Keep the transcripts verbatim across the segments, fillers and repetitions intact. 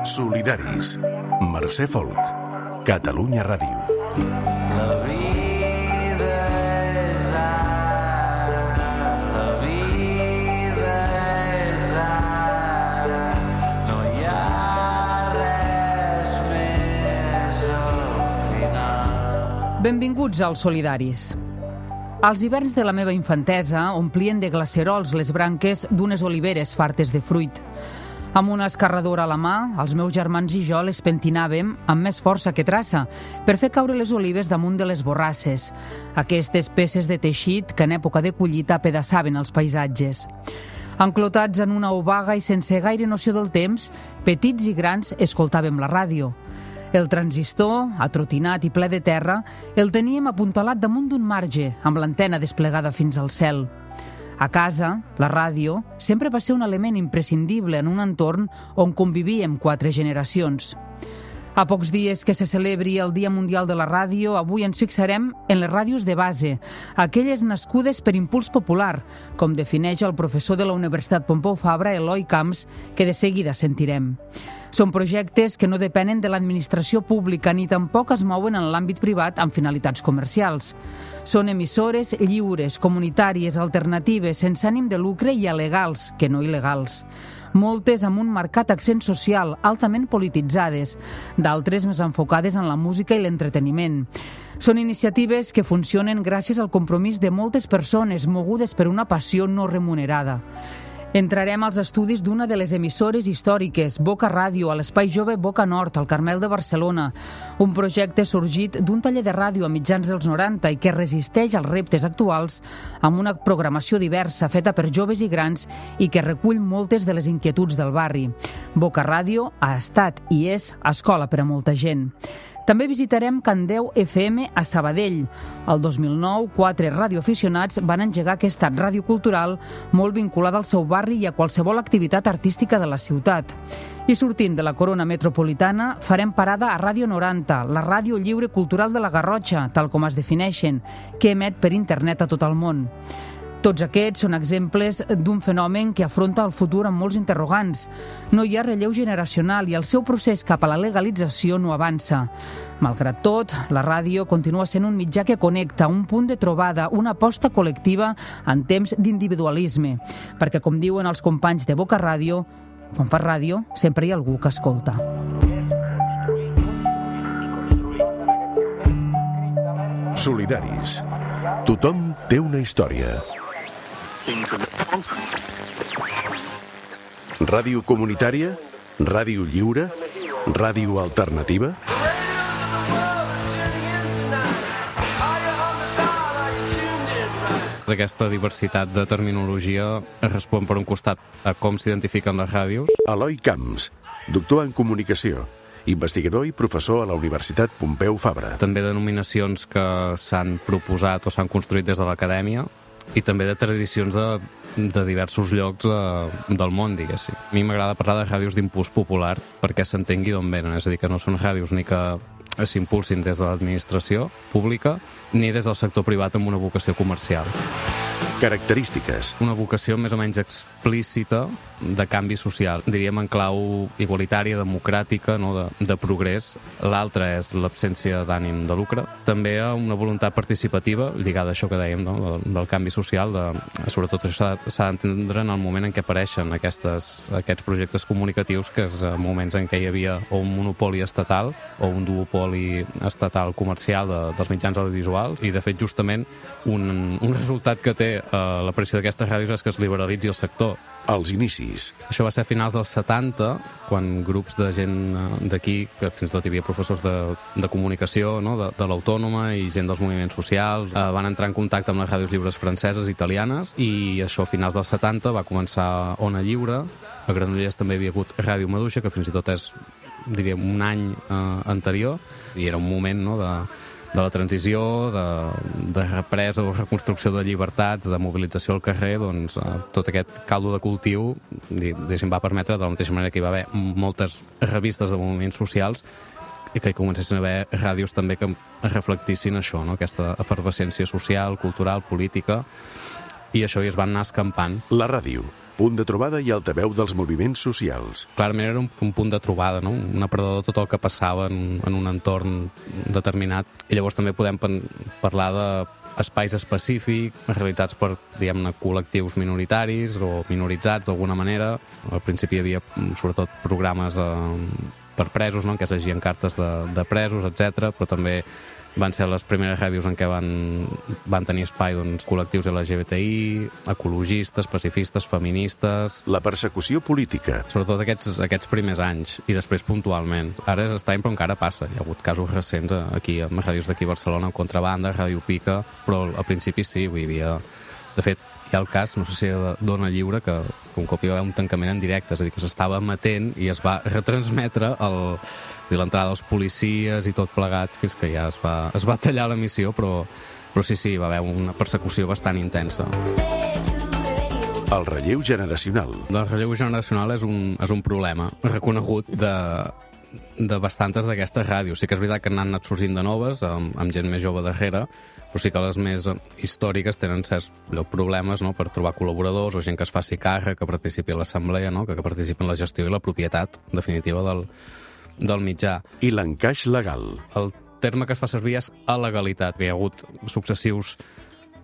Solidaris. Mercè Folk. Catalunya Ràdio. La vida és ara, la vida és ara, no hi ha res més al final. Benvinguts als Solidaris. Els hiverns de la meva infantesa omplien de glacerols les branques d'unes oliveres fartes de fruit. Amb una escarradora a la mà, els meus germans i jo les pentinàvem amb més força que traça per fer caure les olives damunt de les borrasses, aquestes peces de teixit que en època de collita apedaçaven els paisatges. Enclotats en una obaga i sense gaire noció del temps, petits i grans escoltàvem la ràdio. El transistor, atrotinat i ple de terra, el teníem apuntalat damunt d'un marge, amb l'antena desplegada fins al cel. A casa, la ràdio sempre va ser un element imprescindible en un entorn on convivíem quatre generacions. A pocs dies que se celebri el Dia Mundial de la Ràdio, avui ens fixarem en les ràdios de base, aquelles nascudes per impuls popular, com defineix el professor de la Universitat Pompeu Fabra, Eloi Camps, que de seguida sentirem. Són projectes que no depenen de l'administració pública ni tampoc es mouen en l'àmbit privat amb finalitats comercials. Són emissores lliures, comunitàries, alternatives, sense ànim de lucre i alegals, que no il·legals. Moltes amb un marcat accent social, altament polititzades, d'altres més enfocades en la música i l'entreteniment. Són iniciatives que funcionen gràcies al compromís de moltes persones mogudes per una passió no remunerada. Entrarem als estudis d'una de les emissores històriques, Boca Ràdio, a l'Espai Jove Boca Nord, al Carmel de Barcelona. Un projecte sorgit d'un taller de ràdio a mitjans dels noranta i que resisteix als reptes actuals amb una programació diversa feta per joves i grans i que recull moltes de les inquietuds del barri. Boca Ràdio ha estat i és escola per a molta gent. També visitarem Can Déu F M a Sabadell. El dos mil nou, quatre radioaficionats van engegar aquesta ràdio cultural molt vinculada al seu barri i a qualsevol activitat artística de la ciutat. I sortint de la corona metropolitana, farem parada a Ràdio noranta, la ràdio lliure cultural de la Garrotxa, tal com es defineixen, que emet per internet a tot el món. Tots aquests són exemples d'un fenomen que afronta el futur amb molts interrogants. No hi ha relleu generacional i el seu procés cap a la legalització no avança. Malgrat tot, la ràdio continua sent un mitjà que connecta, un punt de trobada, una aposta col·lectiva en temps d'individualisme. Perquè, com diuen els companys de Boca Ràdio, quan fas ràdio, sempre hi ha algú que escolta. Solidaris. Tothom té una història. Ràdio comunitària? Ràdio lliure? Ràdio alternativa? Aquesta diversitat de terminologia respon per un costat a com s'identifiquen les ràdios. Eloi Camps, doctor en comunicació, investigador i professor a la Universitat Pompeu Fabra. També denominacions que s'han proposat o s'han construït des de l'acadèmia i també de tradicions de, de diversos llocs de, del món, diguéssim. A mi m'agrada parlar de ràdios d'impuls popular perquè s'entengui d'on venen, és a dir, que no són ràdios ni que s'impulsin des de l'administració pública ni des del sector privat amb una vocació comercial. Característiques. Una vocació més o menys explícita de canvi social, diríem en clau igualitària, democràtica, no? de, de progrés. L'altra és l'absència d'ànim de lucre. També una voluntat participativa, lligada a això que dèiem, no? del, del canvi social. De, sobretot això s'ha d'entendre en el moment en què apareixen aquestes, aquests projectes comunicatius, que és moments en què hi havia o un monopoli estatal o un duopoli estatal comercial de, dels mitjans audiovisuals, i de fet justament un, un resultat que té eh, l'aparició d'aquestes ràdios és que es liberalitzi el sector. Els inicis. Això va ser a finals dels setanta, quan grups de gent d'aquí, que fins i tot hi havia professors de, de comunicació, no? de, de l'Autònoma i gent dels moviments socials, eh, van entrar en contacte amb les ràdios lliures franceses i italianes, i això a finals dels setanta va començar Ona Lliure. A Granollers també hi havia hagut Ràdio Maduixa, que fins i tot és, diríem, un any eh, anterior, i era un moment, no?, de de la transició, de, de represa o reconstrucció de llibertats, de mobilització al carrer, doncs eh, tot aquest caldo de cultiu diguéssim, va permetre, de la mateixa manera que hi va haver moltes revistes de moviments socials, i que hi comencessin a haver ràdios també que reflectissin això, no? Aquesta efervescència social, cultural, política, i això hi es van anar escampant. La ràdio. punt de trobada i altaveu dels moviments socials. Clarament era un, un punt de trobada, no? Un aparador de tot el que passava en, en un entorn determinat. I llavors també podem parlar d'espais específics realitzats per, diguem-ne, col·lectius minoritaris o minoritzats d'alguna manera. Al principi hi havia sobretot programes eh, per presos, no? En què s'agien cartes de, de presos, etcètera, però també van ser les primeres ràdios en què van, van tenir espai doncs, col·lectius L G B T I, ecologistes, pacifistes, feministes... La persecució política. Sobretot aquests, aquests primers anys, i després puntualment. Ara és estrany, però encara passa. Hi ha hagut casos recents aquí, amb ràdios d'aquí a Barcelona, Contrabanda, Ràdio Pica, però al principi sí, hi havia... De fet, hi ha el cas, no sé si de Dona Lliure, que un cop hi va haver un tancament en directe, és a dir, que s'estava emetent i es va retransmetre el... l'entrada dels policies i tot plegat fins que ja es va, es va tallar l'emissió, però, però sí, sí, va haver una persecució bastant intensa. El relleu generacional. El relleu generacional és un, és un problema reconegut de, de bastantes d'aquestes ràdios. Sí que és veritat que n'han anat sorgint de noves, amb, amb gent més jove darrere, però sí que les més històriques tenen certs problemes, no?, per trobar col·laboradors o gent que es faci càrrec, que participi a l'assemblea, no?, que, que participi en la gestió i la propietat definitiva del del mitjà. I l'encaix legal. El terme que es fa servir és alegalitat. Hi ha hagut successius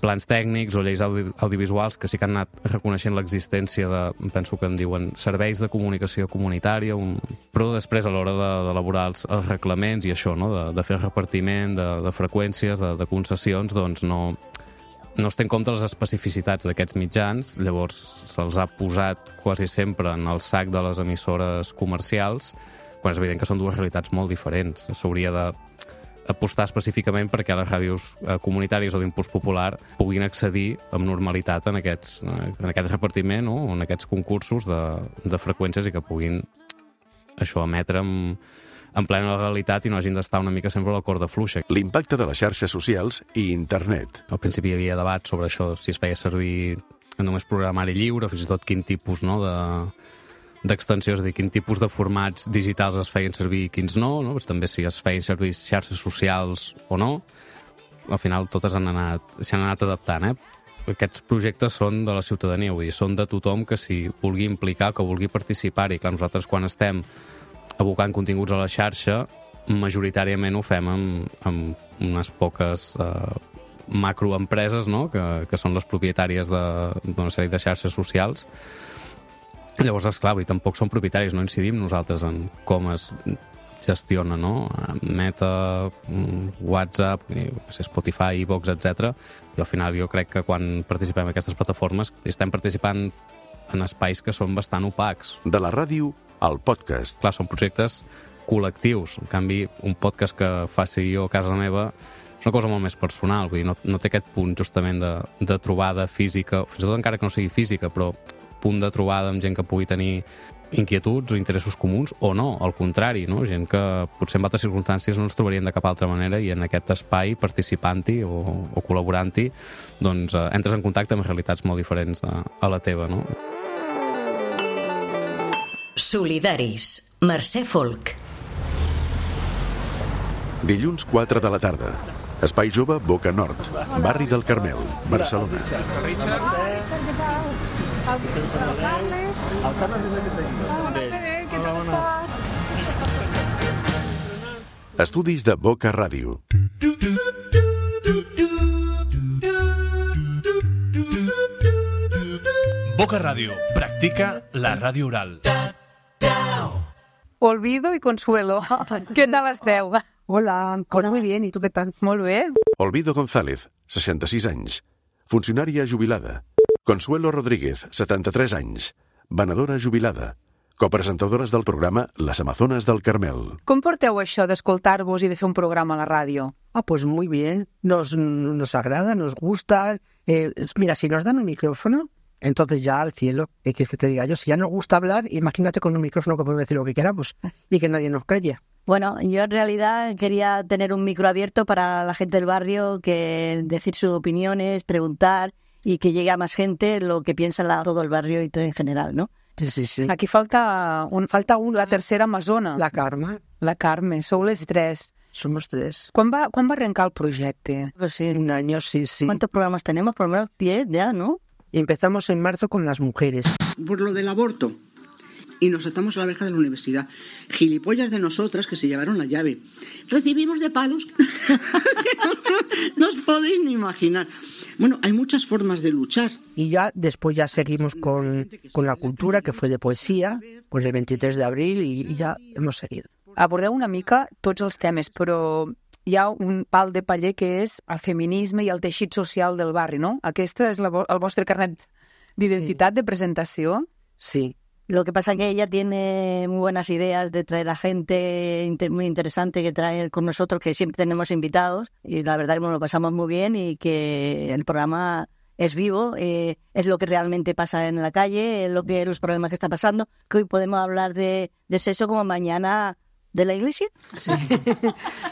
plans tècnics o lleis audi audiovisuals que sí que han anat reconeixent l'existència de, penso que en diuen, serveis de comunicació comunitària, un... però després a l'hora d'elaborar de, els, els reglaments i això, no?, de, de fer repartiment de, de freqüències, de, de concessions, doncs no, no es té en compte les especificitats d'aquests mitjans, llavors se'ls ha posat quasi sempre en el sac de les emissores comercials, quan és evident que són dues realitats molt diferents. S'hauria d'apostar específicament perquè les ràdios comunitàries o d'impuls popular puguin accedir amb normalitat en, aquests, en aquest repartiment, no?, o en aquests concursos de, de freqüències i que puguin això emetre amb, en plena legalitat i no hagin d'estar una mica sempre a la corda fluixa. L'impacte de les xarxes socials i internet. Al principi hi havia debat sobre això, si es feia servir només programari lliure, fins i tot quin tipus, no?, de d'extensió, és a dir, quin tipus de formats digitals es feien servir i quins no, no? Pues també si es feien servir xarxes socials o no. Al final totes han anat, s'han anat adaptant, eh? Aquests projectes són de la ciutadania, vull dir, són de tothom que s'hi vulgui implicar, que vulgui participar-hi. Clar, nosaltres quan estem abocant continguts a la xarxa, majoritàriament ho fem amb, amb unes poques eh, macroempreses, no?, que, que són les propietàries d'una sèrie de xarxes socials. Llavors, esclar, i tampoc som propietaris, no incidim nosaltres en com es gestiona, no? Meta, WhatsApp, Spotify, iVoox, etcètera. I al final jo crec que quan participem en aquestes plataformes estem participant en espais que són bastant opacs. De la ràdio al podcast. Clar, són projectes col·lectius. En canvi, un podcast que faci jo a casa meva és una cosa molt més personal, vull dir, no, no té aquest punt justament de, de trobada física, fins i tot encara que no sigui física, però punt de trobada amb gent que pugui tenir inquietuds o interessos comuns, o no, al contrari, no? Gent que potser en altres circumstàncies no ens trobarien de cap altra manera i en aquest espai, participant-hi o, o col·laborant-hi, doncs eh, entres en contacte amb realitats molt diferents de, a la teva, no? Solidaris, Mercè Folk. Dilluns quatre de la tarda. Espai Jove, Boca Nord, barri del Carmel, Barcelona. El Carles és el que tenim. Què tal estàs? Estudis de Boca Ràdio. Boca Radio practica la ràdio oral. Olvido y Consuelo. ¿Qué tal esteu? Hola, hola, muy bien. ¿Y tú qué tal? Molt bé. Olvido González, seixanta-sis anys. Funcionària jubilada. Consuelo Rodríguez, setanta-tres anys. Venedora jubilada. Copresentadores del programa Les Amazones del Carmel. Com porteu això d'escoltar-vos i de fer un programa a la ràdio? Ah, pues muy bien. Nos, nos agrada, nos gusta. Eh, mira, si nos dan un micrófono, entonces ya al cielo. ¿Qué quieres que te diga yo? Si ya nos gusta hablar, imagínate con un micrófono que podemos decir lo que queramos y que nadie nos calle. Bueno, yo en realidad quería tener un micro abierto para la gente del barrio, que decir sus opiniones, preguntar y que llegue a más gente lo que piensa la, todo el barrio y todo en general, ¿no? Sí, sí, sí. Aquí falta, un, falta una. La tercera amazona. La Carme. La Carme, sou les tres. Somos tres. Quan va, quan va arrencar el projecte? Pues sí. Un año, sí, sí. ¿Cuántos programas tenemos? Por lo menos diez ya, ¿no? Y empezamos en marzo con las mujeres. Por lo del aborto. Y nos atamos a la verja de la universidad. Gilipollas de nosotras que se llevaron la llave. Recibimos de palos. No os podéis ni imaginar. Bueno, hay muchas formas de luchar. Y ya después ya seguimos con, con la cultura, que fue de poesía, pues el veintitrés de abril, i, i ja hemos seguido. Abordeu una mica tots els temes, però hi ha un pal de paller que és el feminisme i el teixit social del barri, no? Aquesta és la, el vostre carnet d'identitat, sí. De presentació? Sí. Lo que pasa es que ella tiene muy buenas ideas de traer a gente inter muy interesante que trae con nosotros, que siempre tenemos invitados, y la verdad que nos lo pasamos muy bien y que el programa es vivo, eh, es lo que realmente pasa en la calle, es lo que los problemas que están pasando, que hoy podemos hablar de, de sexo como mañana de la iglesia. Sí.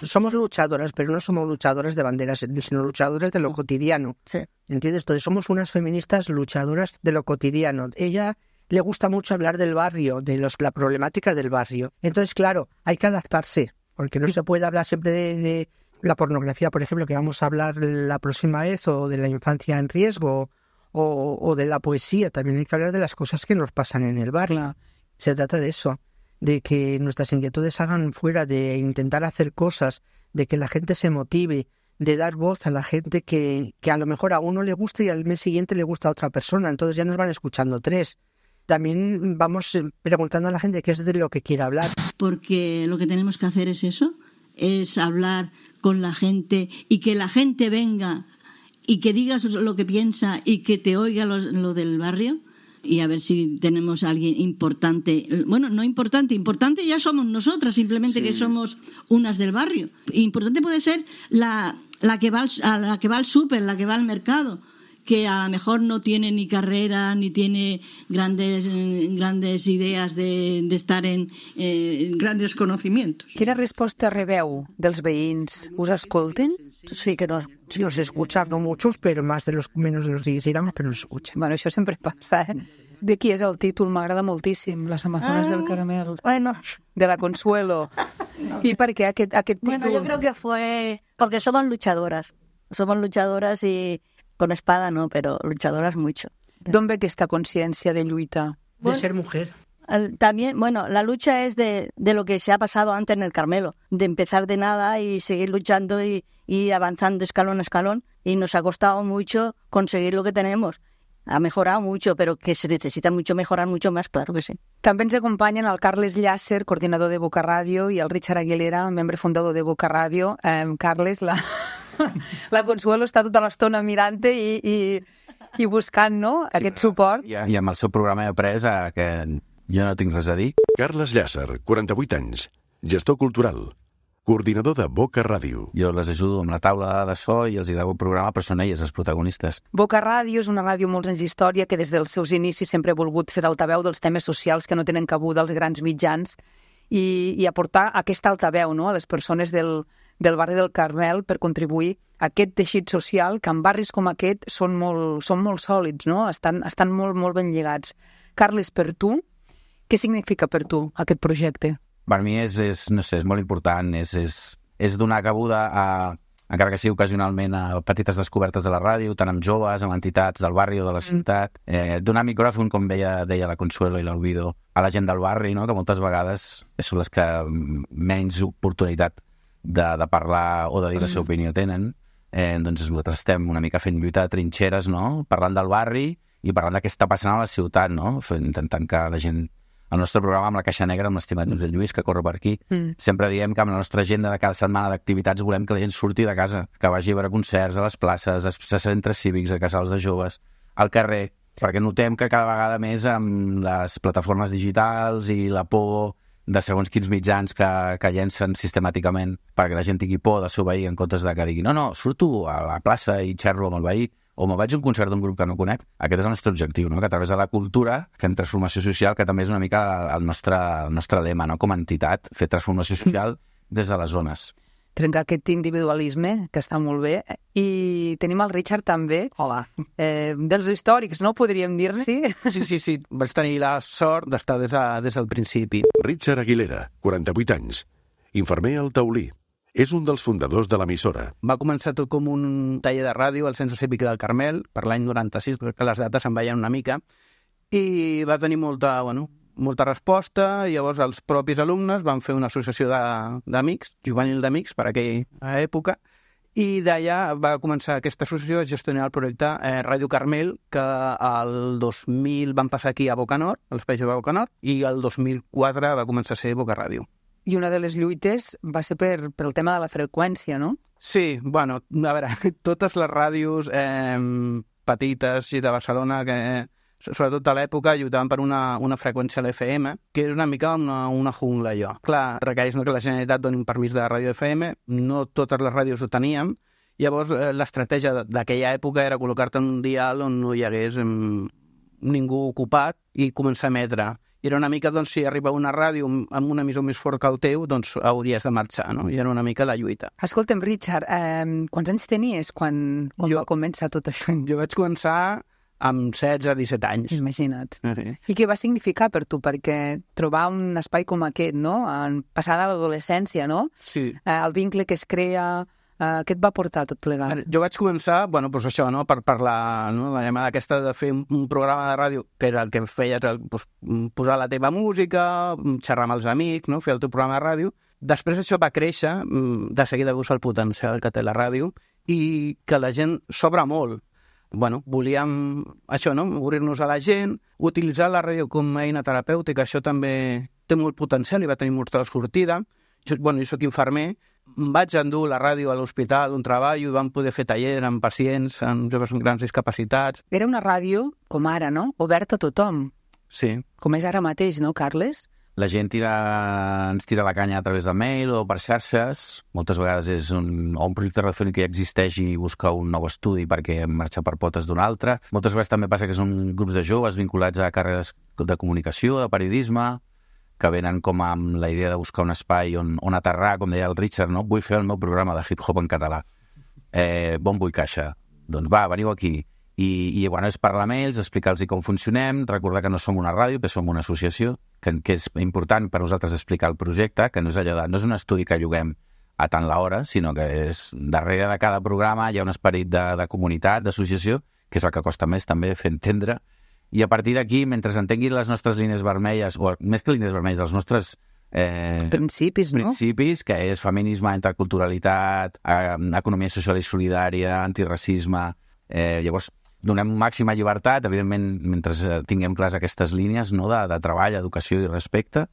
Somos luchadoras, pero no somos luchadoras de banderas, sino luchadoras de lo cotidiano. Sí. ¿Entiendes? Entonces somos unas feministas luchadoras de lo cotidiano. Ella le gusta mucho hablar del barrio, de los, la problemática del barrio. Entonces, claro, hay que adaptarse, porque no se puede hablar siempre de, de la pornografía, por ejemplo, que vamos a hablar la próxima vez, o de la infancia en riesgo, o, o de la poesía. También hay que hablar de las cosas que nos pasan en el barrio. Se trata de eso, de que nuestras inquietudes hagan fuera, de intentar hacer cosas, de que la gente se motive, de dar voz a la gente que, que a lo mejor a uno le gusta y al mes siguiente le gusta a otra persona. Entonces ya nos van escuchando tres. También vamos preguntando a la gente qué es de lo que quiere hablar. Porque lo que tenemos que hacer es eso, es hablar con la gente y que la gente venga y que digas lo que piensa y que te oiga lo, lo del barrio, y a ver si tenemos a alguien importante. Bueno, no importante, importante ya somos nosotras, simplemente sí. Que somos unas del barrio. Importante puede ser la, la que va al, a la que va al súper, la que va al mercado, que a lo mejor no tiene ni carrera ni tiene grandes, eh, grandes ideas de, de estar en eh, grandes conocimientos. Quina resposta rebeu dels veïns? Us escolten? Sí, que nos, sí, nos escuchan, no muchos, pero más de los menos de los que quisiéramos, pero nos escuchan. Bueno, això sempre passa, eh? De qui és el títol? M'agrada moltíssim, Les Amazones ah, del Caramel. Bueno. De la Consuelo. No sé. ¿Y per què aquest, aquest títol? Bueno, yo creo que fue porque somos luchadoras. Somos luchadoras y con espada no, pero luchadoras mucho. ¿D'on ve aquesta consciència de lluita? De bueno, ser mujer. El, también, bueno, la lucha es de, de lo que se ha pasado antes en el Carmelo, de empezar de nada y seguir luchando y, y avanzando escalón a escalón, y nos ha costado mucho conseguir lo que tenemos. Ha mejorado mucho, pero que se necesita mucho mejorar mucho más, claro que sí. També ens acompanyen el Carles Llàcer, coordinador de Boca Ràdio, i el Richard Aguilera, membre fundador de Boca Ràdio. Eh, Carles, la... la Consuelo està tota l'estona mirant-te i, i, i buscant, no?, sí, aquest suport. I, I amb el seu programa he après eh, que jo no tinc res a dir. Carles Llàcer, quaranta-vuit anys, gestor cultural, coordinador de Boca Ràdio. Jo les ajudo amb la taula de so i els hi gravo el programa, però són elles els protagonistes. Boca Ràdio és una ràdio amb molts anys d'història que des dels seus inicis sempre ha volgut fer d'altaveu dels temes socials que no tenen cabuda als grans mitjans i, i aportar aquesta altaveu, no?, a les persones del, del barri del Carmel per contribuir a aquest teixit social que en barris com aquest són molt, són molt sòlids, no?, estan, estan molt, molt ben lligats. Carles, per tu, què significa per tu aquest projecte? Per mi és, és, no sé, és molt important, és, és, és donar cabuda a, encara que sigui ocasionalment, a petites descobertes de la ràdio, tant amb joves, amb entitats del barri o de la ciutat, eh, donar micròfon, com deia, deia la Consuelo i l'Olvido, a la gent del barri, no?, que moltes vegades són les que menys oportunitat de, de parlar o de dir la seva opinió tenen. Eh, doncs nosaltres estem una mica fent lluita de trinxeres, no?, parlant del barri i parlant de què està passant a la ciutat, no?, intentant que la gent... El nostre programa amb la Caixa Negra, amb l'estimat Josep Lluís, que corre per aquí, mm. sempre diem que amb la nostra agenda de cada setmana d'activitats volem que la gent surti de casa, que vagi a veure concerts a les places, a centres cívics, a casals de joves, al carrer, perquè notem que cada vegada més amb les plataformes digitals i la por de segons quins mitjans que, que llencen sistemàticament perquè la gent tingui por del seu veí en comptes de que digui no, no, surto a la plaça i xerro amb el veí, o me'n vaig a un concert d'un grup que no conec. Aquest és el nostre objectiu, no?, que a través de la cultura fem transformació social, que també és una mica el nostre, el nostre lema, no?, com a entitat, fer transformació social des de les zones. Trencar aquest individualisme, que està molt bé. I tenim el Richard també. Hola. Eh, dels històrics, no?, podríem dir-ne. Sí, sí, sí, sí. Vaig tenir la sort d'estar des, de, des del principi. Richard Aguilera, quaranta-vuit anys, infermer al Taulí, és un dels fundadors de l'emissora. Va començar tot com un taller de ràdio al Centre Cívic del Carmel, per l'any noranta-sis, perquè les dates se'n veien una mica, i va tenir molta, bueno, molta resposta, i llavors els propis alumnes van fer una associació de- d'amics, juvenil d'amics, per aquella època, i d'allà va començar aquesta associació a gestionar el projecte eh, Ràdio Carmel, que el dos mil van passar aquí a Bocanor, a l'Espai Jove de Bocanor, i el dos mil quatre va començar a ser Boca Ràdio. I una de les lluites va ser per, per el tema de la freqüència, no? Sí, bueno, a veure, totes les ràdios eh, petites i de Barcelona, que sobretot a l'època lluitaven per una, una freqüència a l'F M, que era una mica una, una jungla, allò. Clar, requereix no, que la Generalitat doni un permís de ràdio F M, no totes les ràdios ho teníem, llavors eh, l'estratègia d'aquella època era col·locar-te en un dial on no hi hagués eh, ningú ocupat i començar a emetre. I era una mica, doncs, si arriba una ràdio amb un emissor més fort que el teu, doncs hauries de marxar, no? I era una mica la lluita. Escolta'm, Richard, eh, quants anys tenies quan, quan jo, va començar tot això? Jo vaig començar amb setze a disset anys. Imagina't. Sí. I què va significar per tu? Perquè trobar un espai com aquest, no? En passada l'adolescència, no? Sí. Eh, el vincle que es crea... Eh, què et va portar tot plegat? Jo vaig començar, bueno, doncs això, no? per, per la, no? la llamada aquesta de fer un, un programa de ràdio, que era el que feies, el, doncs, posar la teva música, xerrar amb els amics, no? Fer el teu programa de ràdio. Després això va créixer, de seguida veus el potencial que té la ràdio, i que la gent s'obre molt. Bueno, volíem això, no? Obrir-nos a la gent, utilitzar la ràdio com a eina terapèutica, això també té molt potencial i va tenir molta sortida. Jo, bueno, jo soc infermer, em vaig endur la ràdio a l'hospital on treballo i vam poder fer taller amb pacients, amb joves amb grans discapacitats. Era una ràdio, com ara, no? Oberta a tothom. Sí. Com és ara mateix, no, Carles? La gent tira, ens tira la canya a través de mail o per xarxes. Moltes vegades és un, o un projecte radiofònic que ja existeix i busca un nou estudi perquè marxa per potes d'un altre. Moltes vegades també passa que són grups de joves vinculats a carreres de comunicació, de periodisme, que venen com amb la idea de buscar un espai on, on aterrar, com deia el Richard, no? Vull fer el meu programa de hip-hop en català. Eh, bon vull caixa. Doncs va, veniu aquí. I, i bueno, és parlar amb ells, explicar-los com funcionem, recordar que no som una ràdio, que som una associació, que, que és important per nosaltres explicar el projecte, que no és allò de, no és un estudi que lloguem a tant l'hora, sinó que és darrere de cada programa hi ha un esperit de, de comunitat, d'associació, que és el que costa més també fer entendre. I a partir d'aquí, mentre entenguin les nostres línies vermelles, o més que línies vermelles, els nostres eh, principis, no? principis, que és feminisme, interculturalitat, eh, economia social i solidària, antiracisme, eh, llavors donem màxima llibertat, evidentment, mentre tinguem clars aquestes línies, no, de, de treball, educació i respecte,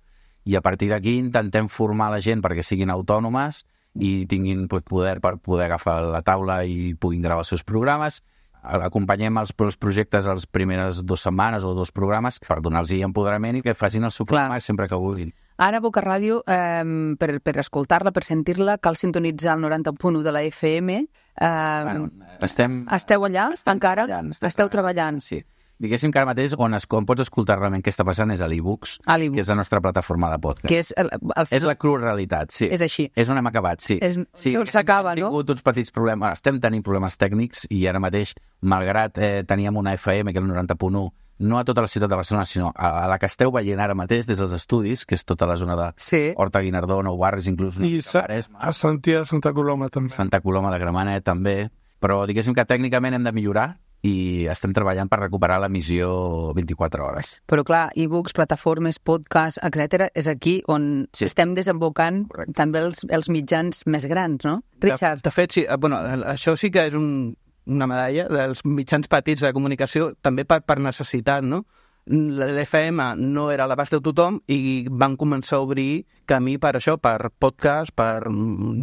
i a partir d'aquí intentem formar la gent perquè siguin autònomes i tinguin pues, poder per poder agafar la taula i puguin gravar els seus programes. Acompanyem els, els projectes les primeres dues setmanes o dos programes per donar-los empoderament i que facin el seu programa sempre que vulguin. Ara, Boca Ràdio, eh, per, per escoltar-la, per sentir-la, cal sintonitzar el noranta punt u de la F M. Eh, bueno, estem... Esteu allà, estem encara? Treballant, estem Esteu treballant? Sí. Diguéssim que ara mateix on, es, on pots escoltar realment què està passant és a l'e-books, que és la nostra plataforma de podcast. Que és, el, el... és la crua realitat, sí. És així. És on hem acabat, sí. És... sí S'acaba, no? Hem tingut uns petits problemes, estem tenint problemes tècnics i ara mateix, malgrat eh, teníem una F M, que era el noranta punt u, no a tota la ciutat de Barcelona, sinó a, a la que esteu veient ara mateix des dels estudis, que és tota la zona de sí. Horta Guinardó, Nou Barris, inclús... I sa a Santia de Santa Coloma, també. Santa Coloma de Gramenet, també. Però diguéssim que tècnicament hem de millorar i estem treballant per recuperar l'emissió vint-i-quatre hores. Però clar, e-books, plataformes, podcast, etcètera, és aquí on sí. estem desembocant Correcte. també els, els mitjans més grans, no? Richard. De, de fet, sí, bueno, això sí que és un, una medalla dels mitjans petits de comunicació, també per, per necessitat, no? L'F M no era a l'abast de tothom i van començar a obrir camí per això, per podcast, per,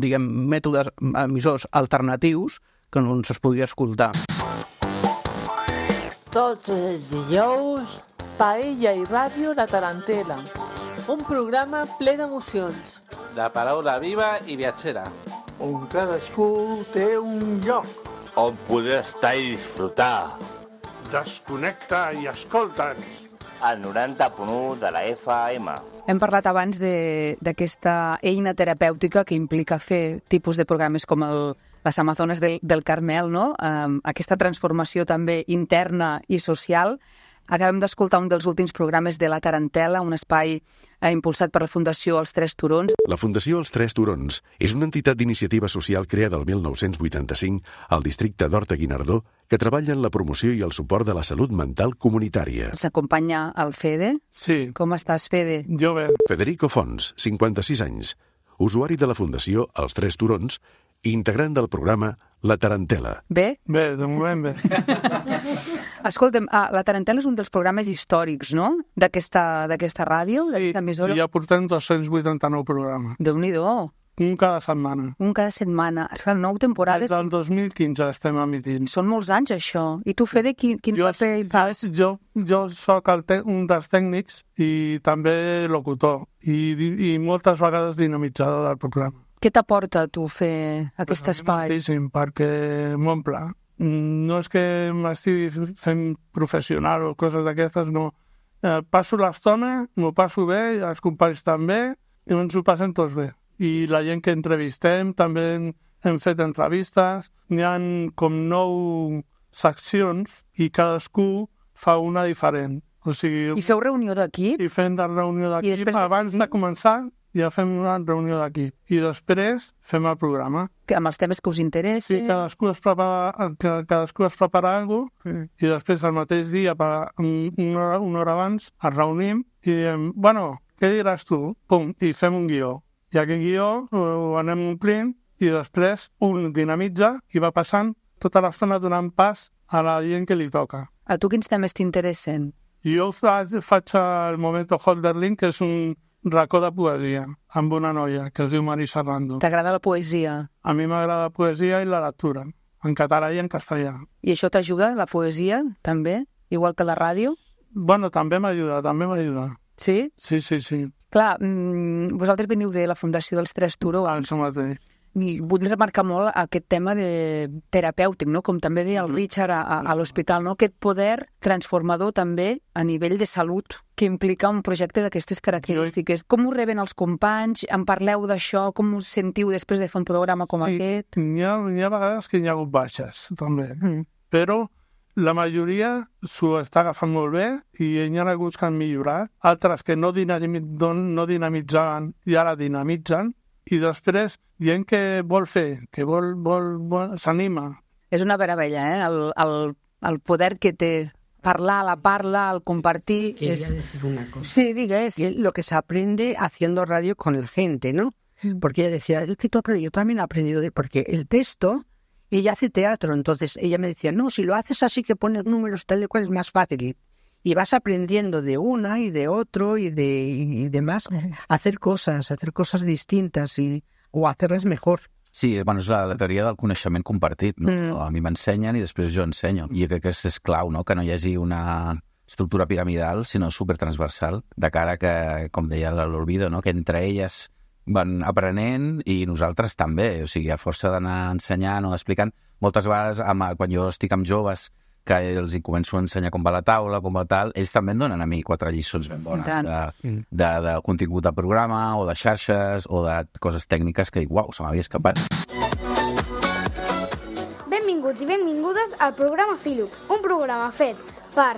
diguem, mètodes, emissors alternatius que on es podia escoltar. Tots els dijous, Paella i Ràdio La Tarantela. Un programa ple d'emocions. De paraula viva i viatgera. On cadascú té un lloc. On poder estar i disfrutar. Desconnecta i escolta'ns. Al noranta punt u de la F M. Hem parlat abans d'aquesta eina terapèutica que implica fer tipus de programes com el, les Amazones del, del Carmel, no? Um, aquesta transformació també interna i social. Acabem d'escoltar un dels últims programes de La Tarantela, un espai eh, impulsat per la Fundació Els Tres Turons. La Fundació Els Tres Turons és una entitat d'iniciativa social creada el mil nou-cents vuitanta-cinc al districte d'Horta-Guinardó que treballa en la promoció i el suport de la salut mental comunitària. S'acompanya el Fede? Sí. Com estàs, Fede? Jo bé. Federico Fons, cinquanta-sis anys, usuari de la Fundació Els Tres Turons i integrant del programa La Tarantela. Bé? Bé, de moment bé. Escolta'm, ah, La Tarantela és un dels programes històrics, no?, d'aquesta d'aquesta ràdio, d'aquesta emissora. Sí, ja portem dos-cents vuitanta-nou programes. Déu-n'hi-do. Un cada setmana. Un cada setmana. Esclar, nou temporades. Des del dos mil quinze estem emitint. Són molts anys, això. I tu, Fede, quin, quin jo, paper hi fas? Jo, jo soc el te un dels tècnics i també locutor. I, i moltes vegades dinamitzador del programa. Què t'aporta, tu, fer aquest pues espai? Moltíssim, perquè m'omple. No és que m'estigui fent professional o coses d'aquestes, no. Eh, passo l'estona, m'ho passo bé, els companys també, i ens ho passem tots bé. I la gent que entrevistem, també hem, hem fet entrevistes, n'hi ha com nou seccions i cadascú fa una diferent. O sigui, I feu reunió d'equip? I fem de reunió d'equip. Abans de començar ja fem una reunió d'equip. I després fem el programa. Que amb els temes que us interessen. Sí, cadascú es prepara, cadascú es prepara alguna cosa mm. i després el mateix dia, per una, hora, una hora abans, ens reunim i diem, bueno, què diràs tu? Pum, i fem un guió. I aquest guió ho anem omplint i després un dinamitza i va passant tota l'estona donant pas a la gent que li toca. A tu quins temes t'interessen? Jo faig, faig el Momento Holderlin, que és un racó de poesia, amb una noia que es diu Marisa Rando. T'agrada la poesia? A mi m'agrada la poesia i la lectura, en català i en castellà. I això t'ajuda, la poesia, també? Igual que la ràdio? Bueno, també m'ajuda, també m'ajuda. Sí? Sí, sí, sí. Clar, mmm, vosaltres veniu de la Fundació dels Tres Turons. Ah, això mateix. I vull remarcar molt aquest tema de terapèutic, no? Com també deia el Richard a, a, a l'hospital, no? Aquest poder transformador també a nivell de salut que implica un projecte d'aquestes característiques. Com ho reben els companys? En parleu d'això? Com us sentiu després de fer un programa com sí, aquest? N'hi ha, n'hi ha vegades que hi ha hagut baixes, també. Mm. Però la majoria s'ho està agafant molt bé i hi ha hagut que han millorat. Altres que no, dinamit, no dinamitzaven i ara dinamitzen. I després, gent que vol fer, que vol, vol, vol s'anima. És una meravella, eh? El, el, el poder que té parlar, la parla, el compartir. Quería es... decir una cosa. Sí, digues. Lo que se aprende haciendo radio con el gente, ¿no? Mm. Porque ella decía, es que tú aprendes, yo también he aprendido, de... porque el texto, ella hace teatro, entonces ella me decía, no, si lo haces así que pones números tal y cual es más fácil. Y vas aprendiendo de una y de otro y de y demás a hacer cosas, a hacer cosas distintas y, o hacerlas mejor. Sí, bueno, és la, la teoria del coneixement compartit, no? Mm. A mi m'ensenyen i després jo ensenyo. I crec que és, és clau, no?, que no hi hagi una estructura piramidal, sinó supertransversal, de cara que, com deia l'Olvido, no?, que entre elles van aprenent i nosaltres també. O sigui, a força d'anar ensenyant o explicant, moltes vegades amb, quan jo estic amb joves que els hi començo a ensenyar com va la taula, com va tal, ells també em donen a mi quatre lliçons ben bones de, de, de contingut de programa o de xarxes o de coses tècniques que, uau, se m'havia escapat. Benvinguts i benvingudes al programa Filup, un programa fet per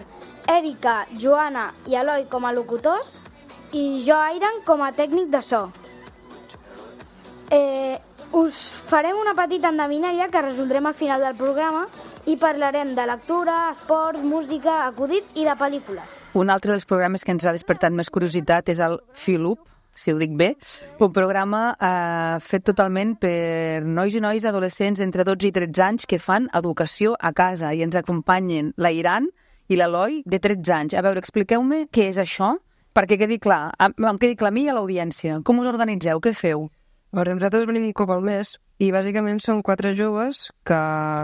Èrica, Joana i Eloi com a locutors i jo, Airan, com a tècnic de so. Eh, us farem una petita endevinalla que resoldrem al final del programa i parlarem de lectura, esports, música, acudits i de pel·lícules. Un altre dels programes que ens ha despertat més curiositat és el Filup, si ho dic bé, un programa eh, fet totalment per nois i nois adolescents entre dotze i tretze anys que fan educació a casa i ens acompanyen la Iran i l'Eloi de tretze anys. A veure, expliqueu-me què és això, perquè quedi clar, em quedi clar a mi i a l'audiència. Com us organitzeu? Què feu? Veure, nosaltres venim un cop al mes i bàsicament són quatre joves que,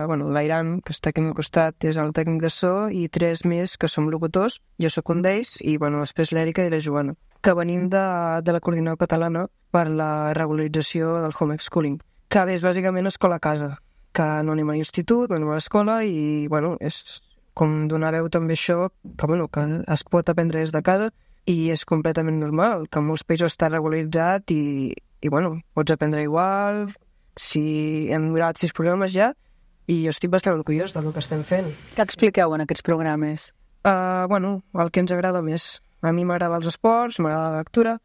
bueno, l'Airan, que està aquí al costat, és el tècnic de so i tres més que som locutors, jo sóc un d'ells i, bueno, després l'Èrica i la Joana, que venim de, de la Coordinadora Catalana per la regularització del homeschooling, que és bàsicament escola a casa, que no anem a l'institut, no anem a l'escola i, bueno, és com donar veu també això, que, bueno, que es pot aprendre des de casa i és completament normal, que en molts països està regularitzat i i, bueno, pots aprendre igual, si hem mirat sis programes ja, i jo estic bastant orgullós del que estem fent. Què expliqueu en aquests programes? Uh, bueno, el que ens agrada més. A mi m'agrada els esports, m'agrada la lectura,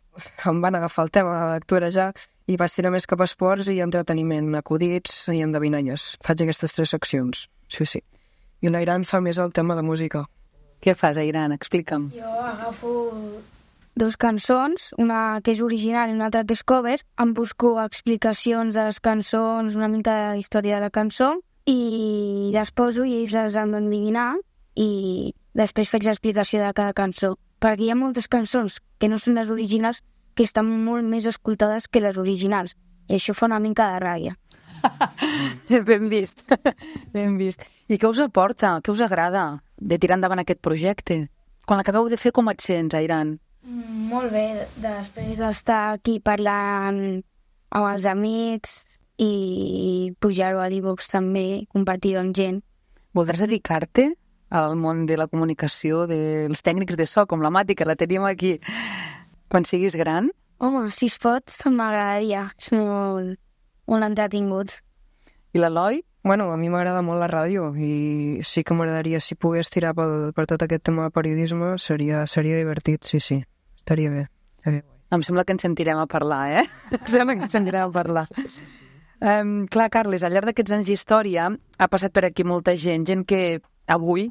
em van agafar el tema de la lectura ja i vaig tirar més cap a esports i entreteniment, acudits i endevinalles. Faig aquestes tres seccions, sí, sí. I l'Airan fa més el tema de música. Què fas, Airan? Explica'm. Jo agafo dos cançons, una que és original i una altra que és cover, em busco explicacions de les cançons, una mica de la història de la cançó, i les poso i ells les han d'endevinar i després faig l'explicació de cada cançó. Perquè hi ha moltes cançons que no són les originals que estan molt més escoltades que les originals. I això fa una mica de ràbia. Ben vist, ben vist. I què us aporta, què us agrada de tirar endavant aquest projecte? Quan l'acabeu de fer, com et sents, Airan? Molt bé, després d'estar aquí parlant amb els amics i pujar-ho a l'e-box també, compartir-ho amb gent. Voldràs dedicar-te al món de la comunicació, dels tècnics de so, com la Mati, que la tenim aquí, quan siguis gran? Home, si es pot, m'agradaria. És molt, molt entretingut. I l'Eloi? Bueno, a mi m'agrada molt la ràdio i sí que m'agradaria, si pogués tirar pel, per tot aquest tema de periodisme, seria, seria divertit, sí, sí. Estaria bé. bé. Em sembla que ens sentirem a parlar, eh? Em sembla que ens sentirem a parlar. Um, clar, Carles, al llarg d'aquests anys d'història ha passat per aquí molta gent, gent que avui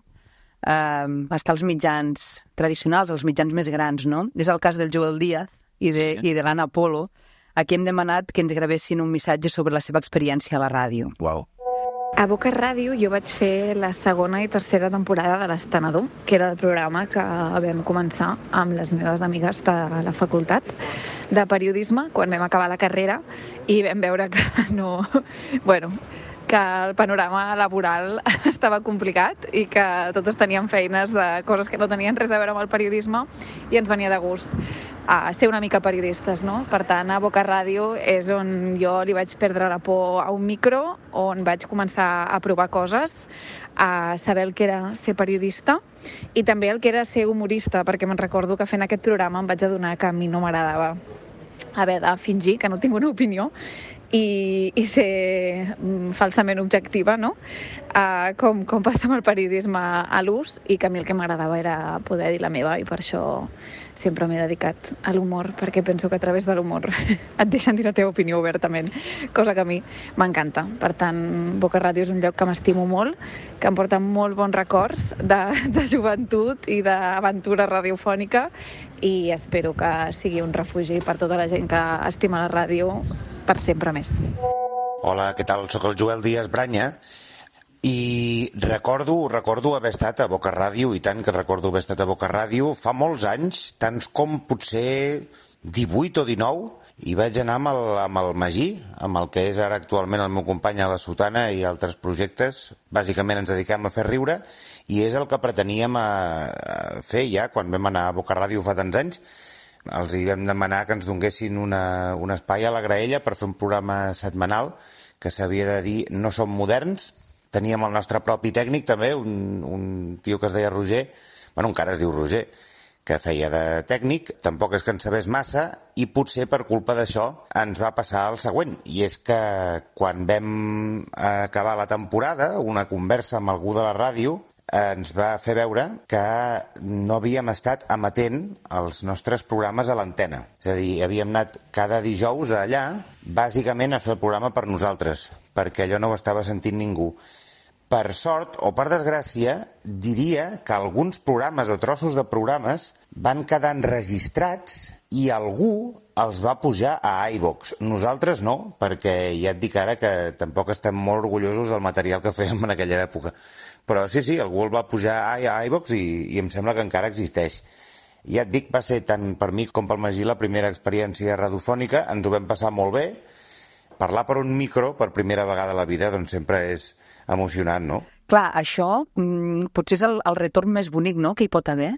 um, està als mitjans tradicionals, als mitjans més grans, no? És el cas del Joel Díaz i de, sí. i de l'Anna Polo. Aquí hem demanat que ens gravessin un missatge sobre la seva experiència a la ràdio. Uau. A Boca Ràdio jo vaig fer la segona i tercera temporada de l'Estenedor, que era el programa que vam començar amb les meves amigues de la facultat de periodisme quan vam acabar la carrera i vam veure que no... bueno, que el panorama laboral estava complicat i que totes teníem feines de coses que no tenien res a veure amb el periodisme i ens venia de gust a ser una mica periodistes, no? Per tant, a Boca Ràdio és on jo li vaig perdre la por a un micro, on vaig començar a provar coses, a saber el que era ser periodista i també el que era ser humorista, perquè me'n recordo que fent aquest programa em vaig adonar que a mi no m'agradava haver de fingir que no tinc una opinió i, i ser falsament objectiva, no? Uh, com, com passa amb el periodisme a l'ús i que a mi el que m'agradava era poder dir la meva i per això sempre m'he dedicat a l'humor, perquè penso que a través de l'humor et deixen dir la teva opinió obertament, cosa que a mi m'encanta. Per tant, Boca Ràdio és un lloc que m'estimo molt, que em porta molt bons records de, de joventut i d'aventura radiofònica i espero que sigui un refugi per tota la gent que estima la ràdio per sempre més. Hola, què tal? Soc el Joel Díaz Branya i recordo, recordo haver estat a Boca Ràdio, i tant que recordo haver estat a Boca Ràdio, fa molts anys, tants com potser divuit o dinou, i vaig anar amb el, amb el Magí, amb el que és ara actualment el meu company a la Sotana i altres projectes. Bàsicament ens dedicam a fer riure i és el que preteníem a, a fer ja quan vam anar a Boca Ràdio fa tants anys. Els hi vam demanar que ens donguessin una, un espai a la graella per fer un programa setmanal que s'havia de dir No som moderns. Teníem el nostre propi tècnic també, un, un tio que es deia Roger, bueno, encara es diu Roger, que feia de tècnic, tampoc és que en sabés massa, i potser per culpa d'això ens va passar el següent, i és que quan vam acabar la temporada, una conversa amb algú de la ràdio ens va fer veure que no havíem estat emetent els nostres programes a l'antena. És a dir, havíem anat cada dijous allà, bàsicament a fer el programa per nosaltres, perquè allò no ho estava sentint ningú. Per sort o per desgràcia, diria que alguns programes o trossos de programes van quedar enregistrats i algú els va pujar a iVox. Nosaltres no, perquè ja et dic ara que tampoc estem molt orgullosos del material que fèiem en aquella època. Però sí, sí, algú el va pujar a iVox i, i em sembla que encara existeix. Ja et dic, va ser tant per mi com pel Magí la primera experiència radiofònica, ens ho vam passar molt bé. Parlar per un micro per primera vegada a la vida doncs sempre és emocionant, no? Clar, això mm, potser és el, el retorn més bonic, no?, que hi pot haver.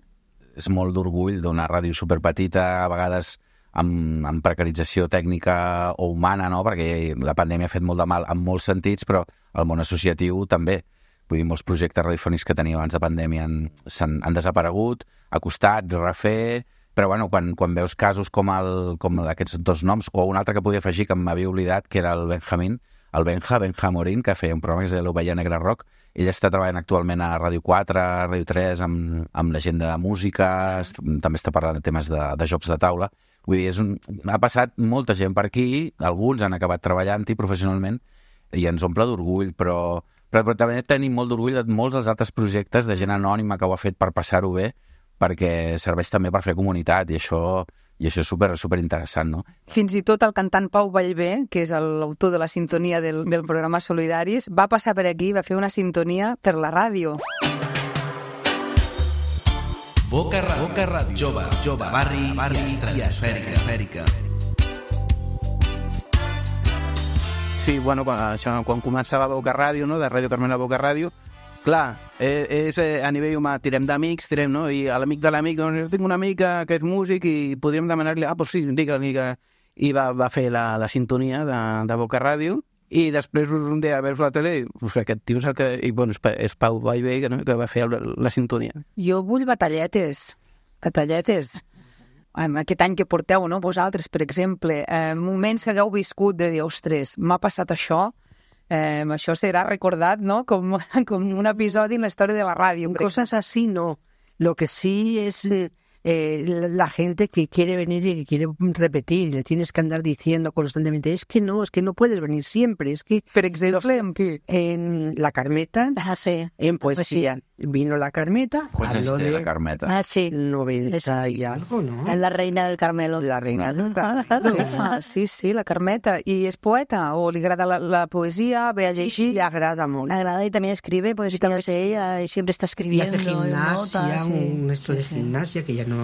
És molt d'orgull d'una ràdio superpetita, a vegades amb, amb precarització tècnica o humana, no?, perquè la pandèmia ha fet molt de mal en molts sentits, però el món associatiu també. Vull dir, molts projectes radiofònics que teníem abans de pandèmia han, han, han desaparegut, ha costat refer, però bueno, quan, quan veus casos com, el, com aquests dos noms, o un altre que podia afegir que m'havia oblidat, que era el Benjamín, el Benja, Benja Morín, que feia un programa que es deia l'Ovella Negra Rock, Ell està treballant actualment a Ràdio quatre, a Ràdio tres, amb, amb la gent de música, est- també està parlant de temes de, de jocs de taula. Vull dir, és un, ha passat molta gent per aquí, alguns han acabat treballant-hi professionalment i ens omple d'orgull, però, però, però també tenim molt d'orgull de molts dels altres projectes de gent anònima que ho ha fet per passar-ho bé, perquè serveix també per fer comunitat i això, i això és super, super interessant, no? Fins i tot el cantant Pau Vallvé, que és l'autor de la sintonia del, del programa Solidaris, va passar per aquí, va fer una sintonia per la ràdio. Boca Ràdio, Boca Ràdio, jove, jove, barri, barri i estratosfèrica. Sí, bueno, quan, això, quan començava Boca Ràdio, no? De Ràdio Carmel a Boca Ràdio, clar, és, és eh, a nivell humà, tirem d'amics, tirem, no? I a l'amic de l'amic, doncs, jo tinc un amic que és músic i podríem demanar-li, ah, doncs sí, digue-li que... I va, va fer la, la sintonia de, de Boca Ràdio i després un dia veus la tele i pues, aquest tio és el que... I, bueno, és, Pa- és Pau Vallvé, no? Que va fer la, la sintonia. Jo vull batalletes, batalletes. En aquest any que porteu, no? Vosaltres, per exemple, eh, moments que hagueu viscut de dir, ostres, m'ha passat això, eh, això serà recordat, no? Com, com un episodi en la història de la ràdio. Cosas así no. Lo que sí es eh, la gente que quiere venir y que quiere repetir. Le tienes que andar diciendo constantemente, es que no, es que no puedes venir siempre. Es que, por ejemplo, ¿en qué? En La Carmeta, Ah, sí. en poesía. Vino La Carmeta, Quants anys habló té de la Carmeta? Ah, sí. noventa y algo, ¿no? Es la reina del Carmelo. La reina del Ah, sí, sí, la Carmeta. I és poeta? O li agrada la, la poesía? Ve a llegir? Le agrada mucho. Le agrada y también escribe, pues sí, también sé ella y siempre está Y escribiendo. hace gimnasia, notas, sí. un esto de gimnasia que ya no...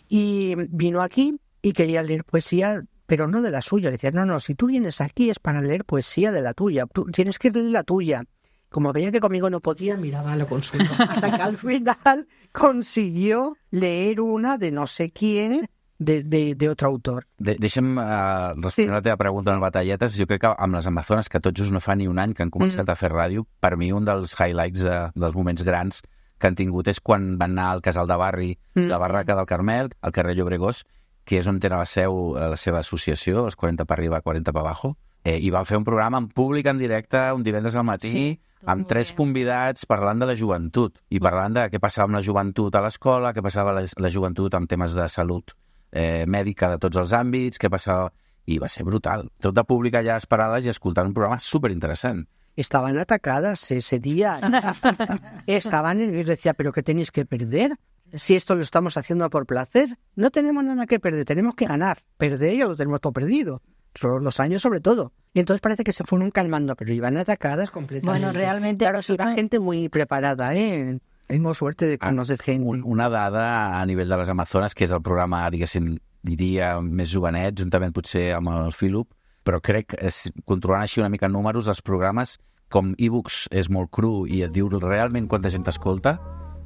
Y vino aquí y quería leer poesía, pero no de la suya. Le decía, no, no, si tú vienes aquí es para leer poesía de la tuya. Tú tienes que leer la tuya. Como veía que conmigo no podía, miraba lo consulta. Hasta que al final consiguió leer una de no sé quién, de, de, de otro autor. De, deixa'm uh, respondre sí. la teva pregunta en batalletes. Jo crec que amb les Amazones, que tot just no fa ni un any que han començat mm. a fer ràdio, per mi un dels highlights, uh, dels moments grans que han tingut és quan van anar al casal de barri, mm. la Barraca del Carmel, al carrer Llobregós, que és on té la seu la seva associació, els quaranta per arriba, quaranta per abajo, eh, i van fer un programa en públic, en directe, un divendres al matí, sí, amb tres convidats parlant de la joventut, i parlant de què passava amb la joventut a l'escola, què passava la, la joventut amb temes de salut eh, mèdica de tots els àmbits, què passava... I va ser brutal. Tot de públic allà esperant-les i escoltant un programa superinteressant. Estaban atacadas ese día. Estaban, y les decía, ¿pero qué tenéis que perder? Si esto lo estamos haciendo por placer, no tenemos nada que perder, tenemos que ganar. Perder ya lo tenemos todo perdido. Son los años sobre todo. Y entonces parece que se fueron calmando, pero iban atacadas completamente. Bueno, realmente... Claro, sí, la gente muy preparada, ¿eh? Tenemos suerte de conocer gente. Una dada a nivell de les Amazones, que és el programa, diguéssim, diria, més jovenet, juntament potser amb el Philip, però crec que controlant així una mica números, els programes, com e-books és molt cru i et diu realment quanta gent t'escolta,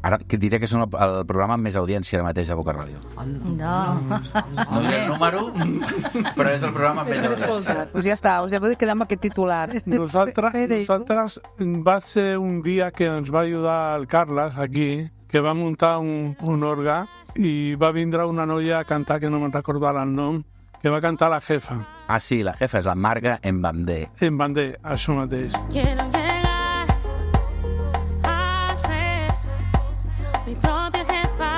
ara que diré que són el, el programa amb més audiència ara mateix a Boca Ràdio. No. No diré el número, però és el programa amb més audiència. Pues ja està, us ja podeu quedar amb aquest titular. Nosaltres, nosaltres va ser un dia que ens va ajudar el Carles aquí, que va muntar un, un orga i va vindre una noia a cantar, que no me'n recordarà el nom, que va cantar La Jefa. Ah, sí, La Jefa és la Marga Embandé. Embandé, això mateix. Quiero llegar a ser mi propia jefa.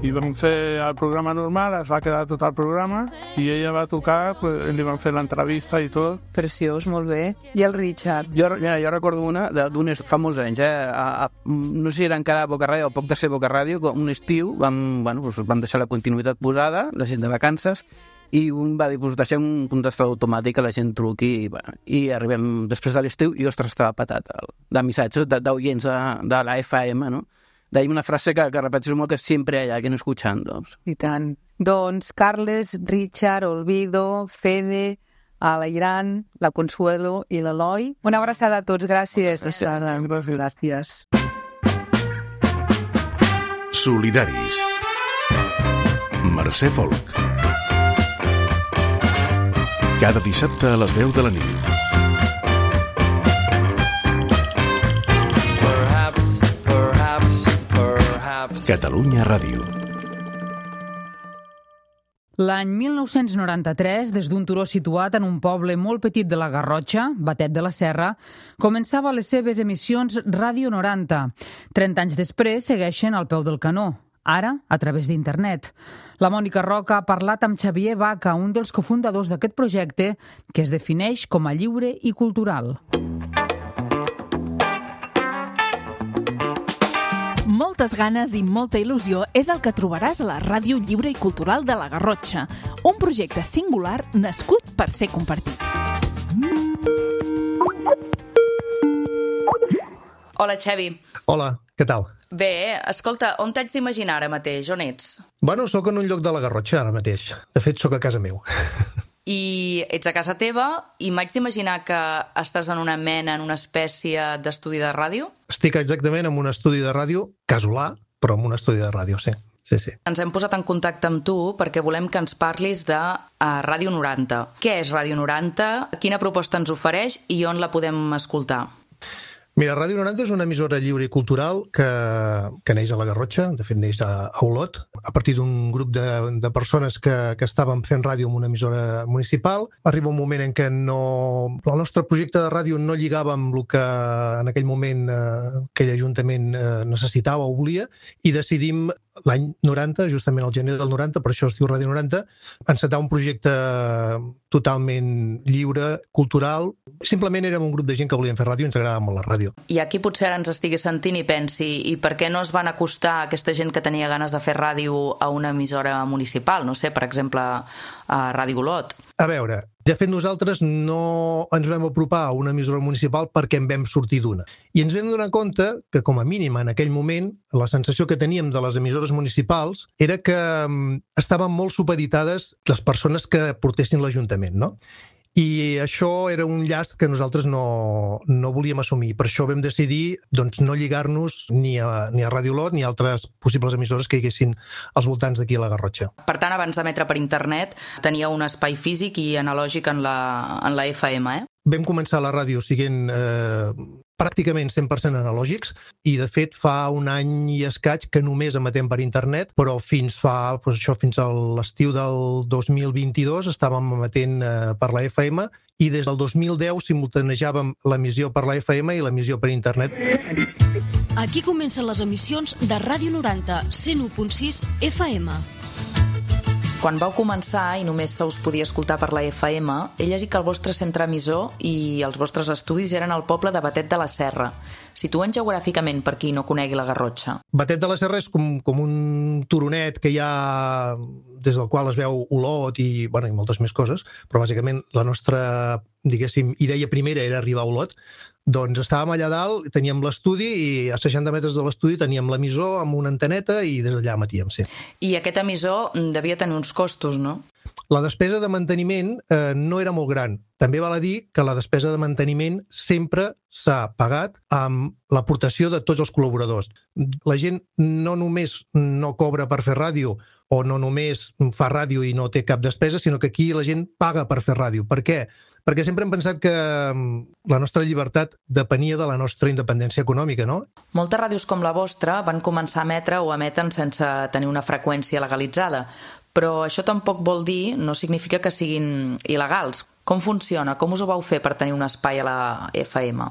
I vam fer el programa normal, es va quedar tot el programa, i ella va tocar, pues, li van fer l'entrevista i tot. Preciós, molt bé. I el Richard? Jo, ja, jo recordo una d'un fa molts anys, eh? A, a, no sé si era encara a Boca Ràdio o poc de ser Boca Ràdio, un estiu vam, bueno, doncs vam deixar la continuïtat posada, la gent de vacances, i un va dir, doncs deixem un contestador automàtic que la gent truqui, i, bueno, i arribem després de l'estiu i, ostres, estava patat el, de missatges d'oients de, de la F M, no? D'ahir una frase que, que repeteixo molt, que sempre hi ha alguien escuchando. I tant. Doncs Carles, Richard, Olvido, Fede, Alairan, la Consuelo i l'Eloi. Una abraçada a tots, gràcies. Gràcies. Gràcies. Solidaris. Mercè Folk. Cada dissabte a les deu de la nit. Catalunya Ràdio. L'any mil nou-cents noranta-tres, des d'un turó situat en un poble molt petit de la Garrotxa, Batet de la Serra, començava les seves emissions Ràdio noranta. trenta anys després segueixen al peu del canó, ara a través d'internet. La Mònica Roca ha parlat amb Xavier Baca, un dels cofundadors d'aquest projecte, que es defineix com a lliure i cultural. Moltes ganes i molta il·lusió és el que trobaràs a la Ràdio Lliure i Cultural de la Garrotxa, un projecte singular nascut per ser compartit. Hola, Xavi. Hola, què tal? Bé, escolta, on t'haig d'imaginar ara mateix? On ets? Bueno, sóc en un lloc de la Garrotxa ara mateix. De fet, sóc a casa meu. I ets a casa teva i m'haig d'imaginar que estàs en una mena, en una espècie d'estudi de ràdio? Estic exactament en un estudi de ràdio, casolà, però en un estudi de ràdio, sí. Sí, sí. Ens hem posat en contacte amb tu perquè volem que ens parlis de uh, Ràdio noranta. Què és Ràdio noranta? Quina proposta ens ofereix i on la podem escoltar? Mira, Ràdio noranta és una emissora lliure i cultural que, que neix a la Garrotxa, de fet neix a, a Olot, a partir d'un grup de, de persones que, que estaven fent ràdio en una emissora municipal. Arriba un moment en què no, el nostre projecte de ràdio no lligava amb el que en aquell moment eh, aquell ajuntament eh, necessitava o volia, i decidim l'any noranta, justament al gener del noranta, per això es diu Ràdio noranta, encetar un projecte totalment lliure, cultural. Simplement érem un grup de gent que volien fer ràdio i ens agradava molt la ràdio. I aquí potser ara ens estigui sentint i pensi, i per què no es van acostar aquesta gent que tenia ganes de fer ràdio a una emissora municipal? No sé, per exemple, a Ràdio Olot. A veure, de fet nosaltres no ens vam apropar a una emissora municipal perquè en vam sortir d'una. I ens vam donar compte que, com a mínim, en aquell moment, la sensació que teníem de les emissores municipals era que estaven molt supeditades les persones que portessin l'Ajuntament, no? I això era un llast que nosaltres no, no volíem assumir. Per això vam decidir doncs, no lligar-nos ni a, ni a Ràdio Olot ni a altres possibles emissores que hi haguessin als voltants d'aquí a la Garrotxa. Per tant, abans d'emetre per internet, tenia un espai físic i analògic en la, en la F M, eh? Vam començar la ràdio siguent eh, pràcticament cent per cent analògics i, de fet, fa un any i escaig que només emetem per internet, però fins fa, doncs això, fins a l'estiu del dos mil vint-i-dos estàvem emetent eh, per la F M i des del dos mil deu simultanejàvem l'emissió per la F M i l'emissió per internet. Aquí comencen les emissions de Ràdio noranta, cent u punt sis F M. Quan vau començar i només se us podia escoltar per la F M, he llegit que el vostre centre emissor i els vostres estudis eren al poble de Batet de la Serra. Situen geogràficament per qui no conegui la Garrotxa. Batet de la Serra és com, com un turonet que hi ha des del qual es veu Olot i, bueno, i moltes més coses, però bàsicament la nostra, diguéssim, idea primera era arribar a Olot. Doncs estàvem allà dalt, teníem l'estudi i a seixanta metres de l'estudi teníem l'emissor amb una anteneta i des d'allà emetíem, sí. I aquest emissor devia tenir uns costos, no? La despesa de manteniment eh, no era molt gran. També val a dir que la despesa de manteniment sempre s'ha pagat amb l'aportació de tots els col·laboradors. La gent no només no cobra per fer ràdio o no només fa ràdio i no té cap despesa, sinó que aquí la gent paga per fer ràdio. Per què? Perquè sempre hem pensat que la nostra llibertat depenia de la nostra independència econòmica, no? Moltes ràdios com la vostra van començar a emetre o emeten sense tenir una freqüència legalitzada, però això tampoc vol dir, no significa que siguin il·legals. Com funciona? Com us ho vau fer per tenir un espai a la F M?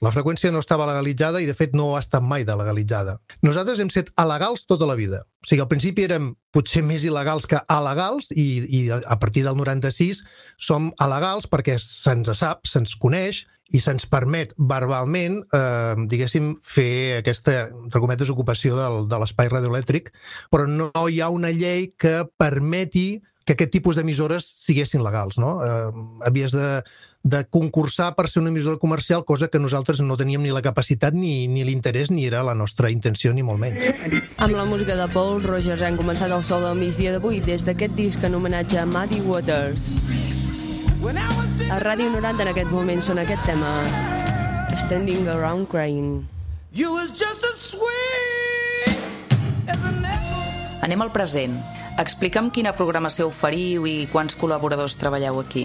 La freqüència no estava legalitzada i, de fet, no ha estat mai de legalitzada. Nosaltres hem set alegals tota la vida. O sigui, al principi érem potser més il·legals que alegals i, i a partir del noranta-sis som alegals perquè se'ns sap, se'ns coneix i se'ns permet verbalment, eh, diguéssim, fer aquesta, entre cometes, ocupació del, de l'espai radioelèctric, però no hi ha una llei que permeti que aquest tipus d'emissores siguessin legals, no? Eh, havies de de concursar per ser una emissora comercial, cosa que nosaltres no teníem ni la capacitat ni, ni l'interès, ni era la nostra intenció, ni molt menys. Amb la música de Paul Rogers hem començat el sol del migdia d'avui des d'aquest disc en homenatge a Muddy Waters. A Ràdio noranta en aquest moment són aquest tema, Standing Around Crying. Anem al present. Explica'm quina programació oferiu i quants col·laboradors treballeu aquí.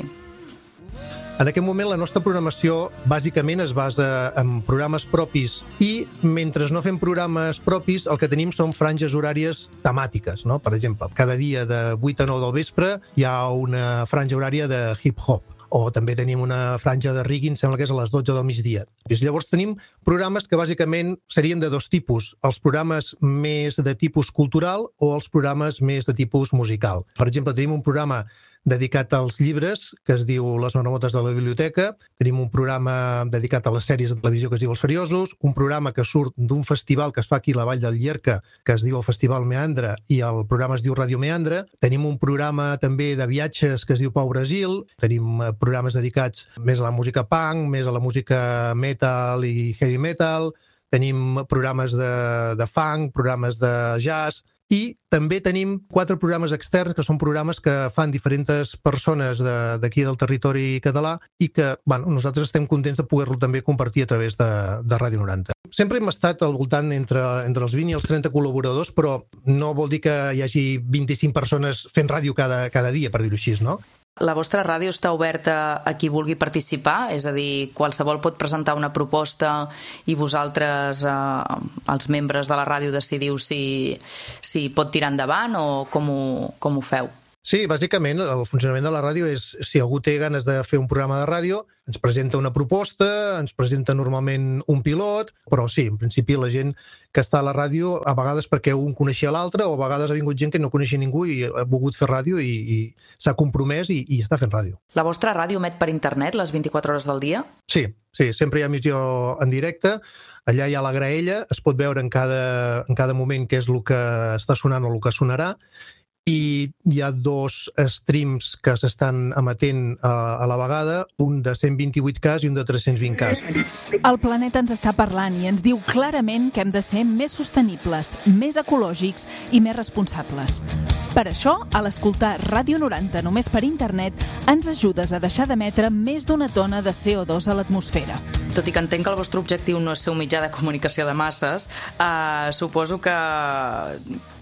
En aquest moment la nostra programació bàsicament es basa en programes propis i mentre no fem programes propis el que tenim són franges horàries temàtiques, no? Per exemple, cada dia de vuit a nou del vespre hi ha una franja horària de hip-hop, o també tenim una franja de reggae, em sembla que és a les dotze del migdia. Llavors tenim programes que bàsicament serien de dos tipus, els programes més de tipus cultural o els programes més de tipus musical. Per exemple, tenim un programa dedicat als llibres, que es diu Les Marmotes de la Biblioteca. Tenim un programa dedicat a les sèries de televisió que es diu Els Seriosos, un programa que surt d'un festival que es fa aquí a la Vall del Llierca, que es diu el Festival Meandre, i el programa es diu Ràdio Meandre. Tenim un programa també de viatges que es diu Pau Brasil. Tenim programes dedicats més a la música punk, més a la música metal i heavy metal. Tenim programes de, de funk, programes de jazz. I també tenim quatre programes externs, que són programes que fan diferents persones d'aquí de, del territori català i que bueno, nosaltres estem contents de poder-lo també compartir a través de, de Ràdio noranta. Sempre hem estat al voltant entre, entre els vint i els trenta col·laboradors, però no vol dir que hi hagi vint-i-cinc persones fent ràdio cada, cada dia, per dir-ho així, no? La vostra ràdio està oberta a qui vulgui participar? És a dir, qualsevol pot presentar una proposta i vosaltres, eh, els membres de la ràdio, decidiu si, si pot tirar endavant o com ho, com ho feu? Sí, bàsicament el funcionament de la ràdio és si algú té ganes de fer un programa de ràdio, ens presenta una proposta, ens presenta normalment un pilot, però sí, en principi la gent que està a la ràdio, a vegades perquè un coneixia l'altre o a vegades ha vingut gent que no coneixia ningú i ha volgut fer ràdio i, i s'ha compromès i, i està fent ràdio. La vostra ràdio emet per internet les vint-i-quatre hores del dia? Sí, sí, sempre hi ha emissió en directe. Allà hi ha la graella, es pot veure en cada, en cada moment què és el que està sonant o el que sonarà. I hi ha dos streams que s'estan emetent a, a la vegada, un de cent vint-i-vuit K i un de tres-cents vint K. El planeta ens està parlant i ens diu clarament que hem de ser més sostenibles, més ecològics i més responsables. Per això, a l'escoltar Ràdio noranta només per internet, ens ajudes a deixar d'emetre més d'una tona de C O dos a l'atmosfera. Tot i que entenc que el vostre objectiu no és ser un mitjà de comunicació de masses, eh, suposo que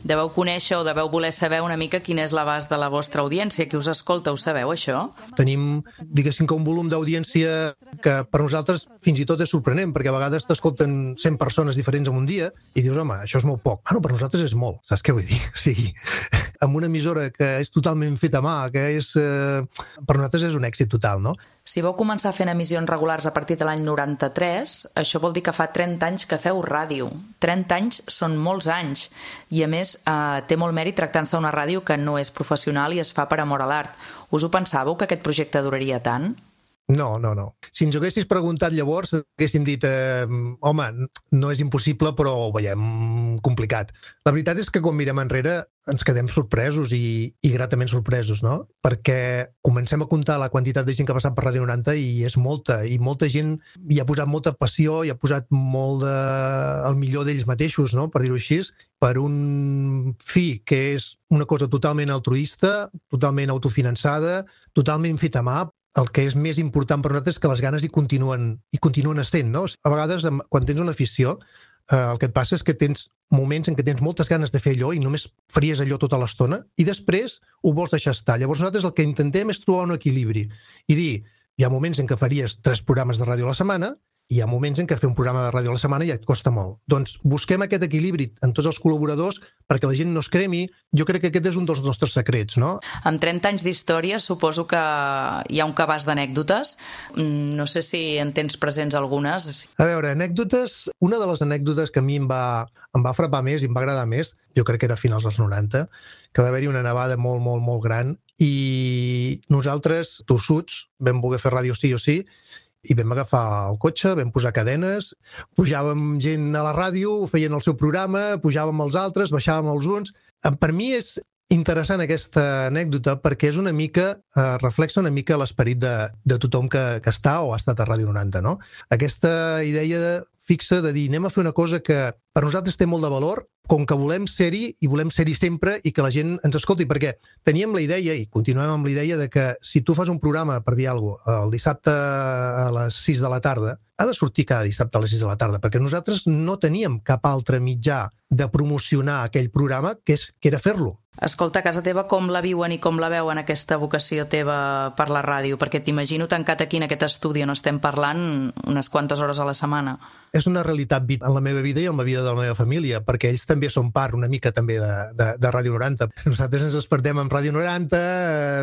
deveu conèixer o deveu voler saber una mica quin és l'abast de la vostra audiència. Qui us escolta, ho sabeu, això? Tenim, diguéssim, que un volum d'audiència que per nosaltres fins i tot és sorprenent, perquè a vegades t'escolten cent persones diferents en un dia i dius, home, això és molt poc. Bueno, per nosaltres és molt, saps què vull dir? O sigui, amb una emissora que és totalment feta a mà, que és, eh, per nosaltres és un èxit total, no? Si vau començar fent emissions regulars a partir de l'any noranta-tres, això vol dir que fa trenta anys que feu ràdio. trenta anys són molts anys i, a més, eh, té molt mèrit tractant-se d'una ràdio que no és professional i es fa per amor a l'art. Us ho pensàveu, que aquest projecte duraria tant? No, no, no. Si ens ho haguessis preguntat llavors, haguéssim dit, eh, home, no és impossible, però ho veiem complicat. La veritat és que quan mirem enrere ens quedem sorpresos i, i gratament sorpresos, no? Perquè comencem a comptar la quantitat de gent que ha passat per Ràdio noranta i és molta, i molta gent hi ha posat molta passió, hi ha posat molt de... el millor d'ells mateixos, no? Per dir-ho així, per un fi que és una cosa totalment altruista, totalment autofinançada, totalment feta a mà. El que és més important per nosaltres és que les ganes hi continuen, hi continuen essent, no? A vegades, quan tens una afició, eh, el que et passa és que tens moments en què tens moltes ganes de fer allò i només faries allò tota l'estona i després ho vols deixar estar. Llavors nosaltres el que intentem és trobar un equilibri i dir, hi ha moments en què faries tres programes de ràdio a la setmana i hi ha moments en què fer un programa de ràdio a la setmana ja et costa molt. Doncs busquem aquest equilibri en tots els col·laboradors perquè la gent no es cremi. Jo crec que aquest és un dels nostres secrets, no? Amb trenta anys d'història suposo que hi ha un cabàs d'anècdotes. No sé si en tens presents algunes. A veure, anècdotes... Una de les anècdotes que a mi em va, em va frapar més i em va agradar més, jo crec que era a finals dels noranta, que va haver-hi una nevada molt, molt, molt gran i nosaltres, tossuts, vam voler fer ràdio sí o sí i vam agafar el cotxe, vam posar cadenes, pujàvem gent a la ràdio, feien el seu programa, pujàvem els altres, baixàvem els uns. Per mi és interessant aquesta anècdota perquè és una mica, eh, reflexa una mica l'esperit de, de tothom que, que està o ha estat a Ràdio noranta, no? Aquesta idea de, fixa de dir, anem a fer una cosa que per nosaltres té molt de valor, com que volem ser-hi i volem ser-hi sempre i que la gent ens escolti, perquè teníem la idea i continuem amb la idea de que si tu fas un programa, per dir alguna cosa, el dissabte a les sis de la tarda, ha de sortir cada dissabte a les sis de la tarda, perquè nosaltres no teníem cap altre mitjà de promocionar aquell programa que, és, que era fer-lo. Escolta, a casa teva com la viuen i com la veuen aquesta vocació teva per la ràdio? Perquè t'imagino tancat aquí en aquest estudi on estem parlant unes quantes hores a la setmana. És una realitat en la meva vida i en la vida de la meva família, perquè ells també són part una mica també de, de, de Ràdio noranta. Nosaltres ens despertem amb Ràdio noranta,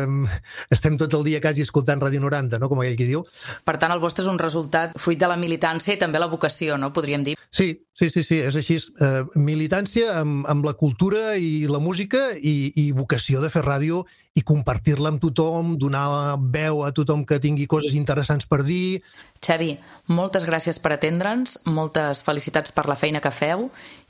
eh, estem tot el dia quasi escoltant Ràdio noranta, no? Com aquell qui diu. Per tant, el vostre és un resultat fruit de la militància i també la vocació, no? Podríem dir. Sí, sí, sí, sí, és així. Eh, militància amb, amb la cultura i la música i, i vocació de fer ràdio i compartir-la amb tothom, donar veu a tothom que tingui coses interessants per dir. Xavi, moltes gràcies per atendre'ns, moltes felicitats per la feina que feu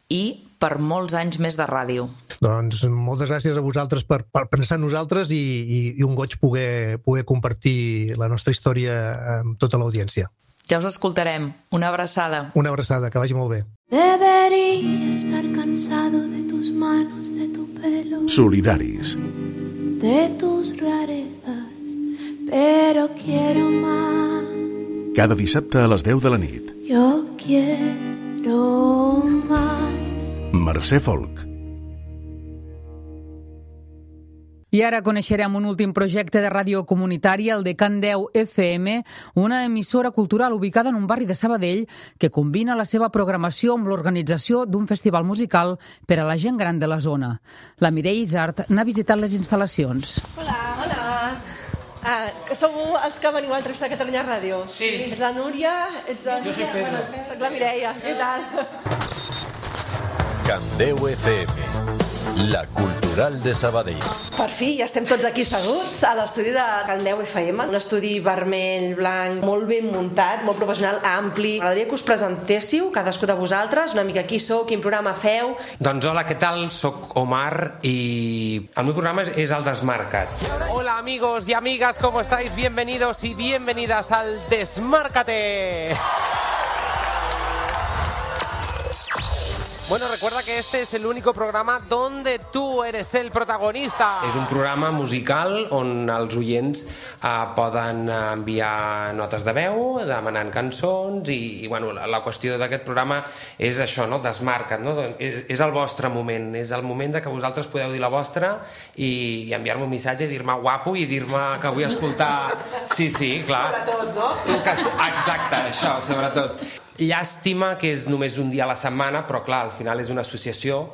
i per molts anys més de ràdio. Doncs moltes gràcies a vosaltres per, per pensar en nosaltres i, i, i un goig poder, poder compartir la nostra història amb tota l'audiència. Ja us escoltarem. Una abraçada. Una abraçada, que vagi molt bé. Debería estar cansado de tus manos, de tu pelo, Solidaris. de tus rarezas, pero quiero más. Cada dissabte a les deu de la nit. Yo quiero más. Mercè Folk. I ara coneixerem un últim projecte de ràdio comunitària, el de Can deu F M, una emissora cultural ubicada en un barri de Sabadell que combina la seva programació amb l'organització d'un festival musical per a la gent gran de la zona. La Mireia Isart n'ha visitat les instal·lacions. Hola. Hola. Ah, que sou els que veniu a entrevistar a Catalunya Ràdio? Sí. Ets la Núria? Ets la... Jo soy Pedro. Bueno, soc la Mireia. Què tal? Can deu F M, la cultural de Sabadell. Per fi, ja estem tots aquí seguts a l'estudi de Can deu F M, un estudi vermell, blanc, molt ben muntat, molt professional, ampli. M'agradaria que us presentéssiu, cadascú de vosaltres, una mica qui sou, quin programa feu. Doncs hola, què tal? Soc Omar i el meu programa és El Desmarcat. Hola amigos y amigas, ¿cómo estáis? Bienvenidos y bienvenidas al Desmárcate. Bueno, recuerda que este es el único programa donde tú eres el protagonista. És un programa musical on els oients eh, poden enviar notes de veu, demanant cançons i, i bueno, la, la qüestió d'aquest programa és això, no? Desmarca't, no? És, és el vostre moment, és el moment de que vosaltres podeu dir la vostra i, i enviar-me un missatge i dir-me guapo i dir-me que vull escoltar... Sí, sí, clar. Sobretot, no? Exacte, això, sobretot. Llàstima que és només un dia a la setmana, però clar, al final és una associació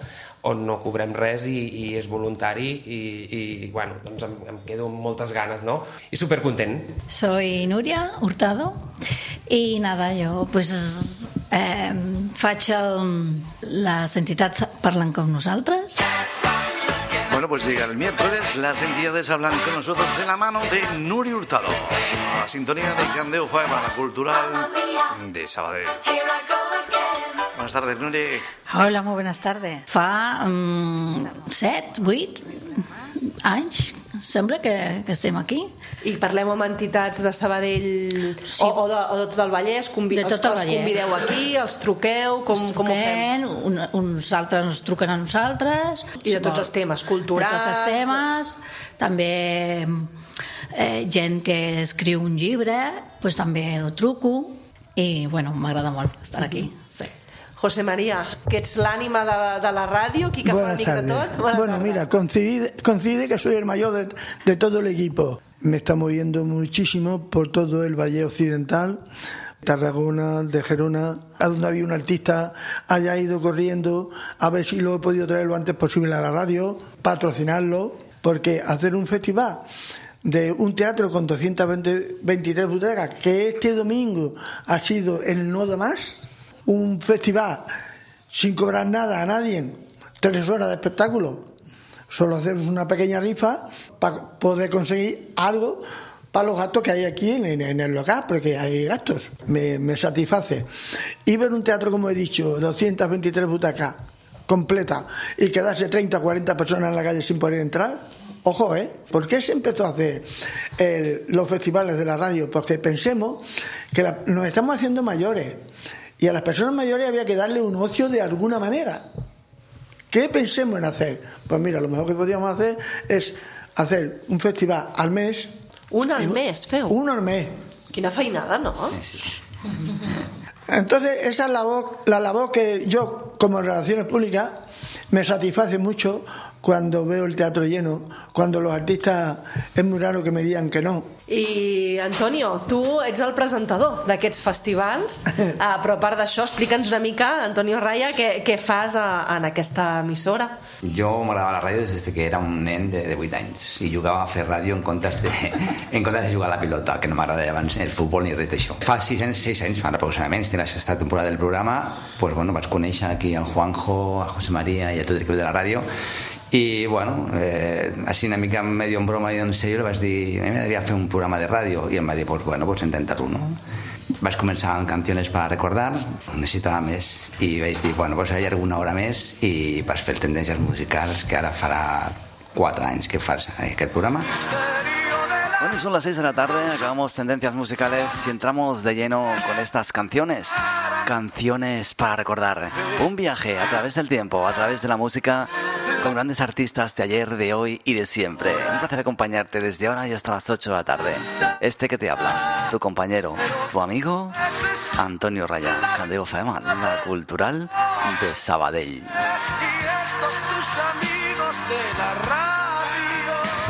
on no cobrem res i, i és voluntari i, i bueno, doncs em, em quedo amb moltes ganes, no? I supercontent. Soy Nuria Hurtado y nada, yo pues eh, faig el, las entidades parlen con nosaltres. Bueno, pues llega el miércoles, las entidades hablan con nosotros de la mano de Nuria Hurtado. A la sintonía de Can deu F M, la cultural de Sabadell. Buenas tardes, Nuria. Hola, muy buenas tardes. Fa um, set, vuit anys, sembla que, que estem aquí. I parlem amb entitats de Sabadell sí. o, o, de, o de tot el Vallès, convi de tot el els, els convideu aquí, els truqueu, com, els com ho fem? Un, uns altres ens truquen a nosaltres. I de tots els temes culturals. De tots els temes, també eh, gent que escriu un llibre, pues també ho truco i bueno, m'agrada molt estar aquí. Sí. José María, que ets l'ànima de, la, de la ràdio, qui que fa una mica de tot. Buenas bueno, tardes. Mira, coincide, coincide que soy el mayor de, de todo el equipo. Me está moviendo muchísimo por todo el Valle Occidental, Tarragona, de Gerona, a donde había un artista, haya ido corriendo a ver si lo he podido traer lo antes posible a la radio, patrocinarlo, porque hacer un festival de un teatro con doscientas veintitrés butacas, que este domingo ha sido el No Da Más, un festival sin cobrar nada a nadie, tres horas de espectáculo, solo hacemos una pequeña rifa para poder conseguir algo para los gastos que hay aquí en, en, en el local, porque hay gastos, me, me satisface. Y ver un teatro, como he dicho, doscientas veintitrés butacas completa y quedarse treinta o cuarenta personas en la calle sin poder entrar, ojo, ¿eh? ¿Por qué se empezó a hacer eh, los festivales de la radio? Porque pensemos que la, nos estamos haciendo mayores. Y a las personas mayores había que darle un ocio de alguna manera. ¿Qué pensemos en hacer? Pues mira, lo mejor que podíamos hacer es hacer un festival al mes. Un al mes, feu? Un al mes. Quina feinada, no? Sí, sí. Entonces, esa es la labor, la labor que yo, como Relaciones Públicas, me satisface mucho cuando veo el teatro lleno, cuando los artistas es muy raro que me digan que no. I, Antonio, tu ets el presentador d'aquests festivals, uh, però a part d'això, explica'ns una mica, Antonio Raya, què, què fas a, en aquesta emissora. Jo m'agradava la ràdio des que era un nen de, de vuit anys i jugava a fer ràdio en comptes de, en comptes de jugar a la pilota, que no m'agradava abans el futbol ni res d'això. Fa sis anys, sis anys, fa aproximadament, tens esta temporada del programa, pues, bueno, vaig conèixer aquí al Juanjo, a José María i a tot l'equip de la ràdio. I, bueno, eh, així una mica medio en broma i en serio, li vaig dir, a mi m'agradaria fer un programa de ràdio, i em va dir, pues bueno, pues intentar-ho, no? Vaig començar amb Canciones para recordar, necessitava més, i vaig dir, bueno, pues hi ha alguna hora més, i vaig fer Tendències musicals, que ara farà quatre anys que fas aquest programa. Bueno, son las seis de la tarde, acabamos Tendencias Musicales y entramos de lleno con estas canciones. Canciones para recordar. Un viaje a través del tiempo, a través de la música, con grandes artistas de ayer, de hoy y de siempre. Un placer acompañarte desde ahora y hasta las ocho de la tarde. Este que te habla, tu compañero, tu amigo, Antonio Raya, Candeo F M, la cultural de Sabadell. Y estos tus amigos de la radio.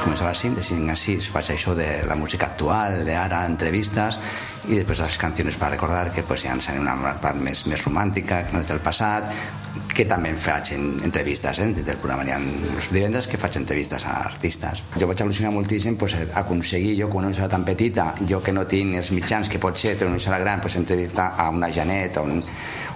Començava la síntesi, així faig això de la música actual, d'ara, entrevistes, i després les canciones per recordar, que pues, ja ens han una part més, més romàntica, que no és del passat, que també faig en entrevistes, eh? Del programa hi ha els divendres que faig entrevistes a artistes. Jo vaig al·lucinar moltíssim pues, aconseguir, jo com una emissora tan petita, jo que no tinc els mitjans que pot ser, té una emissora gran, pues, entrevistar a una Janet, a un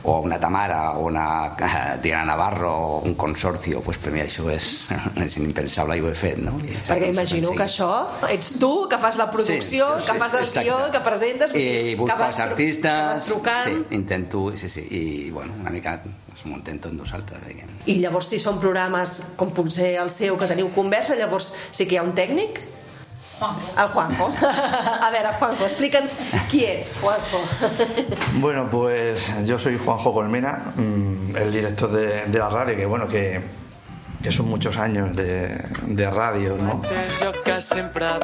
o una Tamara, o una Diana Navarro, o un consorcio, pues per mi això és, és impensable i ho he fet, no? Perquè imagino que això ets tu, que fas la producció, sí, que fas el guió, que presentes, i busco els artistes, que vas trucant. Sí, intento, sí, sí, i bueno, una mica m'ho intento en nosaltres. I llavors si són programes com potser el seu, que teniu conversa, llavors sí que hi ha un tècnic? El Juanjo. A ver, Juanjo, explícanos quién es Juanjo. Bueno, pues yo soy Juanjo Colmena, el director de, de la radio, que bueno, que, que son muchos años de, de radio, ¿no?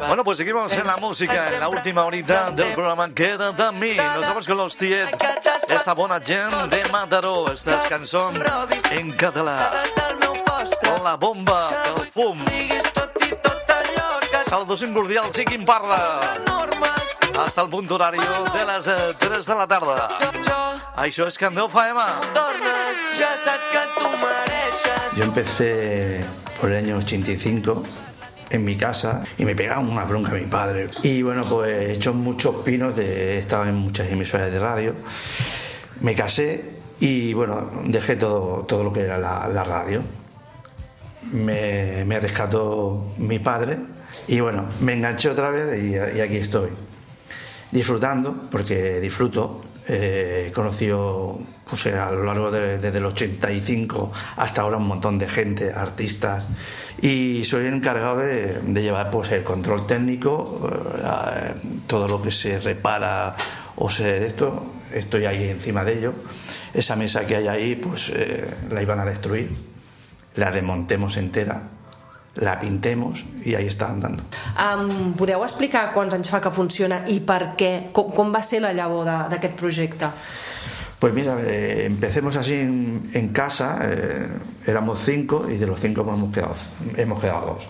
Bueno, pues seguimos en la música, en la última horita del programa Quédate a mí. Nos vamos con los Tiet, esta bona gent de Mataró, estas cançons en català. Con la bomba del fum. Saludos cordials i qui en parla. Hasta el punt horari de les tres de la tarda. Això és Candeu F M. Yo empecé por el año ochenta y cinco en mi casa y me pegaba una bronca a mi padre. Y bueno, pues he hecho muchos pinos, de, he estado en muchas emisoras de radio. Me casé y bueno, dejé todo, todo lo que era la, la radio. Me, me rescató mi padre. Y bueno, me enganché otra vez y, y aquí estoy, disfrutando, porque disfruto. Eh, he conocido pues, a lo largo de, desde el ochenta y cinco hasta ahora un montón de gente, artistas, y soy el encargado de, de llevar pues, el control técnico, eh, todo lo que se repara o se esto, estoy ahí encima de ello. Esa mesa que hay ahí, pues eh, la iban a destruir, la remontemos entera, la pintemos i ahí està andando. Um, podeu explicar quants anys fa que funciona i per què? Com, com va ser la llavor d'aquest projecte? Pues mira, eh, empecemos así en, en casa, eh, éramos cinco y de los cinco hemos quedado, hemos quedado dos.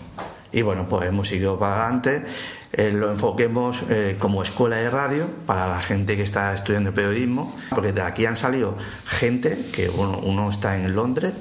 Y bueno, pues hemos seguido para adelante, eh, lo enfoquemos eh, como escuela de radio para la gente que está estudiando periodismo, porque de aquí han salido gente que uno, uno está en Londres,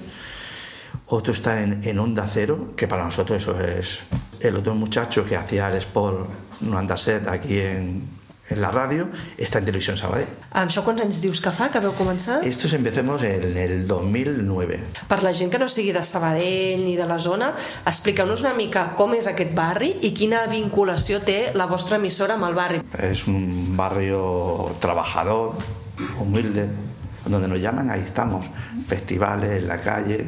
otro está en, en Onda Cero, que para nosotros eso es... El otro muchacho que hacía el Sport noventa set aquí en, en la radio está en Televisión Sabadell. Això quants anys dius que fa, que veu començar? Estos empecemos en el dos mil nueve. Per la gent que no sigui de Sabadell ni de la zona, expliqueu-nos una mica com és aquest barri i quina vinculació té la vostra emissora amb el barri. Es un barrio trabajador, humilde, donde nos llaman, ahí estamos. Festivales, en la calle,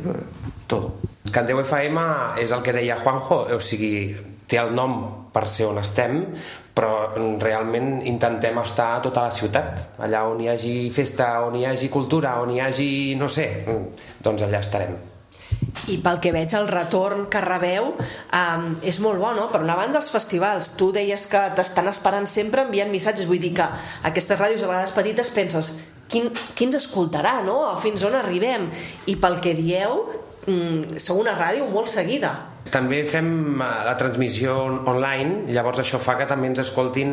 todo. Candeu F M és el que deia Juanjo, o sigui, té el nom per ser on estem, però realment intentem estar a tota la ciutat, allà on hi hagi festa, on hi hagi cultura, on hi hagi, no sé, doncs allà estarem. I pel que veig el retorn que rebeu um, és molt bo, no? Per una banda els festivals, tu deies que t'estan esperant sempre enviant missatges, vull dir que aquestes ràdios a vegades petites penses quin, qui ens escoltarà, no? O fins on arribem? I pel que dieu mm, sou una ràdio molt seguida. També fem la transmissió online, llavors això fa que també ens escoltin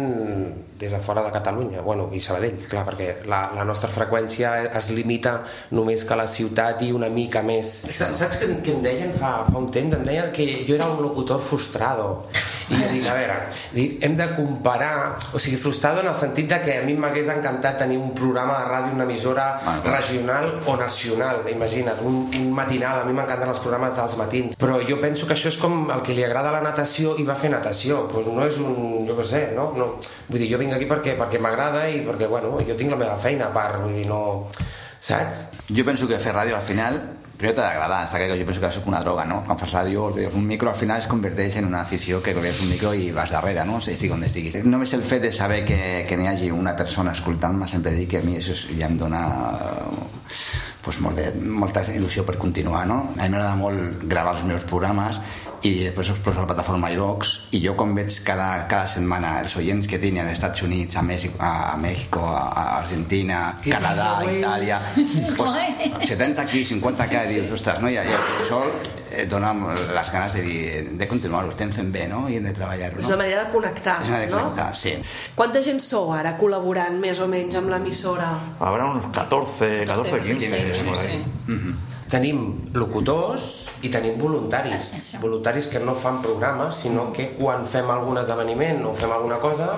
des de fora de Catalunya, bueno, i Sabadell, clar, perquè la, la nostra freqüència es limita només que a la ciutat i una mica més. Saps què, què em deien fa, fa un temps? Em deien que jo era un locutor frustrado. I jo dic, a veure, dic, hem de comparar, o sigui, frustrado en el sentit de que a mi m'hagués encantat tenir un programa de ràdio, una emissora regional o nacional, imagina't, un, un matinal, a mi m'encanten els programes dels matins, però jo penso que això és com el que li agrada la natació i va fer natació, doncs no és un, jo què sé, no? no? Vull dir, jo vinc aquí perquè, perquè m'agrada i perquè, bueno, jo tinc la meva feina a part, vull dir, no... Saps? Jo penso que fer ràdio al final primer t'ha d'agradar, està clar que jo penso que és una droga, no? Quan fas ràdio, un micro al final es converteix en una afició que veus un micro i vas darrere, no? Estic on estiguis. Només el fet de saber que, que n'hi hagi una persona escoltant-me, sempre dic que a mi això ja em dona pues, molt de, molta il·lusió per continuar, no? A mi m'agrada molt gravar els meus programes i després els poso a la plataforma iVox i jo quan veig cada, cada setmana els oients que tinc als Estats Units, a Mèxic, a, a México, a Argentina, Canadà, Itàlia, pues, setanta aquí, cinquanta aquí, dius, ostres, no? I, i això et dona les ganes de, dir, de continuar-ho, estem fent bé, no? I hem de treballar-ho, no? És una manera de connectar, és una manera de connectar, no? Sí. Quanta gent sou ara col·laborant més o menys amb l'emissora? Habrá unos catorce, catorce, quince, sí, por ahí. Mm-hmm. Tenim locutors i tenim voluntaris, voluntaris que no fan programes, sinó que quan fem algun esdeveniment o fem alguna cosa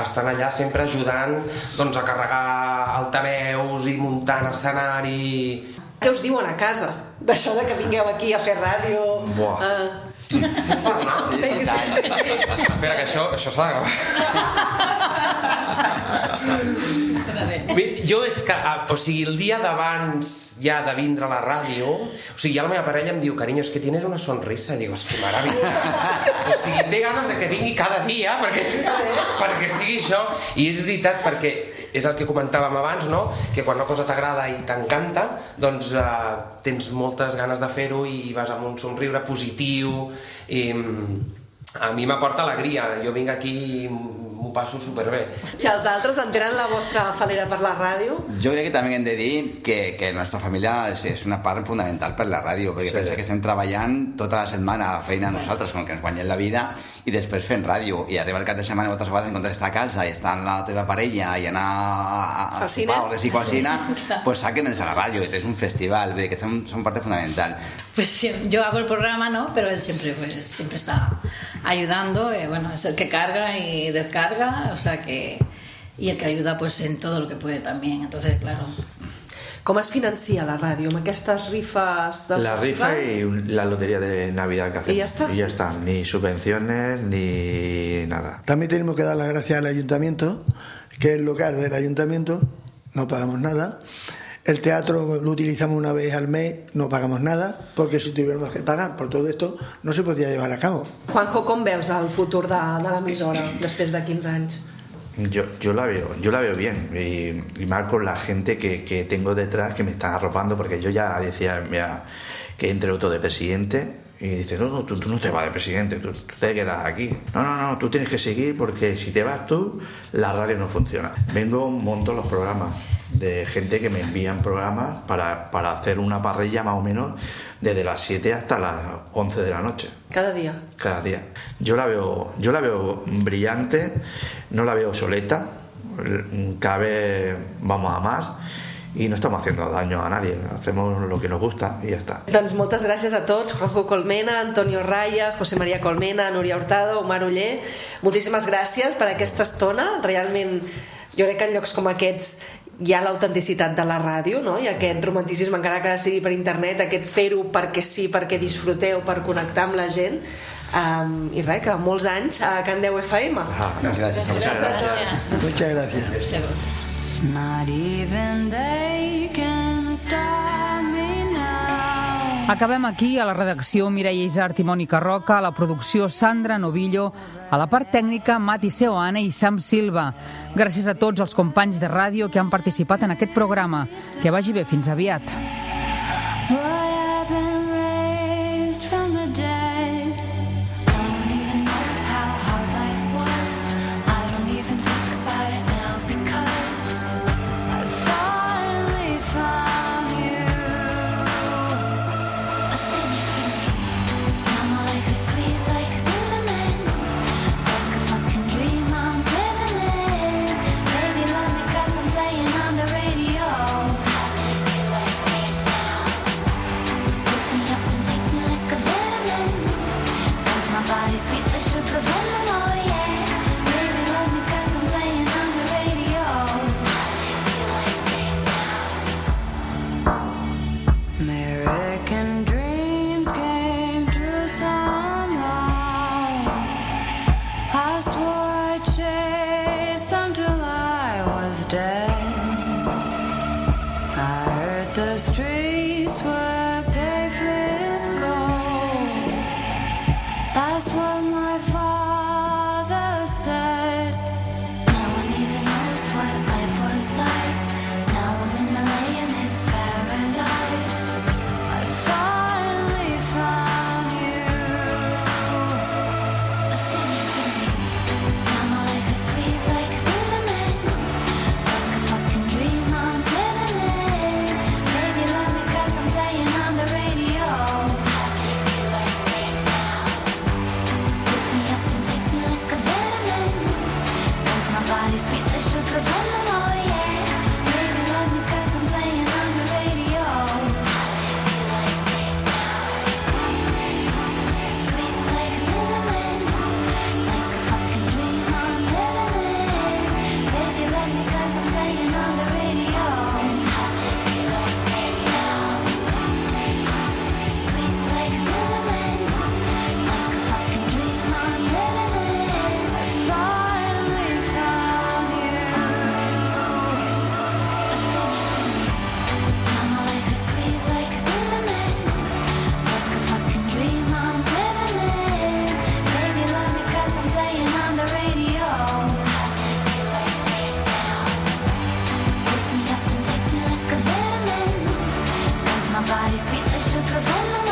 estan allà sempre ajudant doncs, a carregar altaveus i muntant escenari. Què us diuen a casa d'això de que vingueu aquí a fer ràdio? Buah. Uh... Sí, sí, sí, sí. Espera, que això, això s'ha de gravar. Jo és que, o sigui, el dia d'abans ja de vindre a la ràdio, o sigui, ja la meva parella em diu, carinyo, és que tienes una sonrisa. Digo, és que meravella. O sigui, té ganes de que vingui cada dia perquè, perquè sigui això. I és veritat, perquè és el que comentàvem abans, no? Que quan una cosa t'agrada i t'encanta, doncs eh, tens moltes ganes de fer-ho i vas amb un somriure positiu. I a mi m'aporta alegria. Jo vinc aquí i m'ho passo superbé. I els altres entenen la vostra falera per la ràdio? Jo crec que també hem de dir que, que la nostra família és, és una part fundamental per la ràdio, perquè sí. Pensa que estem treballant tota la setmana a la feina nosaltres, com que ens guanyem la vida, i després fent ràdio, i arriba el cap de setmana moltes vegades en comptes d'estar a casa i estar amb la teva parella i anar a, a sopar o res i cocina, pues saquen a la ràdio, és un festival, vull dir que són, són parte fundamental. Pues yo hago el programa, ¿no? Pero él siempre, pues, siempre está ayudando, eh, bueno, es el que carga y descarga, o sea que... y el que ayuda pues en todo lo que puede también, entonces, claro... Com es financia la ràdio? Amb aquestes rifes del la festival? La rifa y la lotería de Navidad que hacemos. ¿Y ya está? Y ya está, ni subvenciones ni nada. También tenemos que dar las gracias al ayuntamiento, que es el local del ayuntamiento, no pagamos nada. El teatro lo utilizamos una vez al mes, no pagamos nada, porque si tuviéramos que pagar por todo esto, no se podría llevar a cabo. Juanjo, com veus el futur de, de l'emissora després de quinze anys? Yo, yo la veo, yo la veo bien y, y más con la gente que, que tengo detrás que me están arropando, porque yo ya decía, mira, que entre otro de presidente y dice, no, no, tú, tú no te vas de presidente, tú, tú te quedas aquí. No, no, no, tú tienes que seguir porque si te vas tú, la radio no funciona. Vengo, monto los programas de gente que me envían programas para, para hacer una parrilla más o menos desde las siete hasta las once de la noche. Cada día. Cada día. Yo la veo, yo la veo brillante, no la veo obsoleta, cada vez vamos a más i no estamos haciendo daño a nadie, hacemos lo que nos gusta y ya está. Doncs moltes gràcies a tots, Juanjo Colmena, Antonio Raya, José María Colmena, Núria Hurtado, Omar Oller, moltíssimes gràcies per aquesta estona. Realment jo crec que en llocs com aquests hi ha l'autenticitat de la ràdio, no? I aquest romanticisme, encara que sigui per internet, aquest fer-ho perquè sí, perquè disfruteu, per connectar amb la gent. Um, i res, que molts anys a Can Deu F M. Ah, gràcies. Muchas gracias. Muchas gracias. Not even they can stop me now. Acabem aquí, a la redacció Mireia Isart i Mònica Roca, a la producció Sandra Novillo, a la part tècnica Mati Seoane i Sam Silva. Gràcies a tots els companys de ràdio que han participat en aquest programa. Que vagi bé, fins aviat. I broken dreams came true somehow. I swore I'd chase until I was dead. I heard the streets were paved with gold. That's what my father said. No one even knows what life was like. Now I'm in L A and it's paradise. I finally found you. Sing it to me. Now my life is sweet like cinnamon, like a fucking dream I'm living in. Baby, love me 'cause I'm playing on the radio. I'll take you like me now. Pick me up and take me like a vitamin, 'cause my body's sweet like sugar venom, oh yeah. Baby, love me 'cause I'm playing on the radio. I'll take you like me now. Sweet like cinnamon, like a fucking dream I'm living in. Baby, love me 'cause I'm playing on the radio. I'll take you like me now. Sweet like cinnamon, like a fucking dream I'm living in. I finally found you. Sing it to me. Now my life is sweet like cinnamon, like a fucking dream I'm living in. Baby, love me 'cause I'm playing on the radio. I'll take you like me now. Pick me up and take me like a vitamin, 'cause my body's sweet like sugar venom,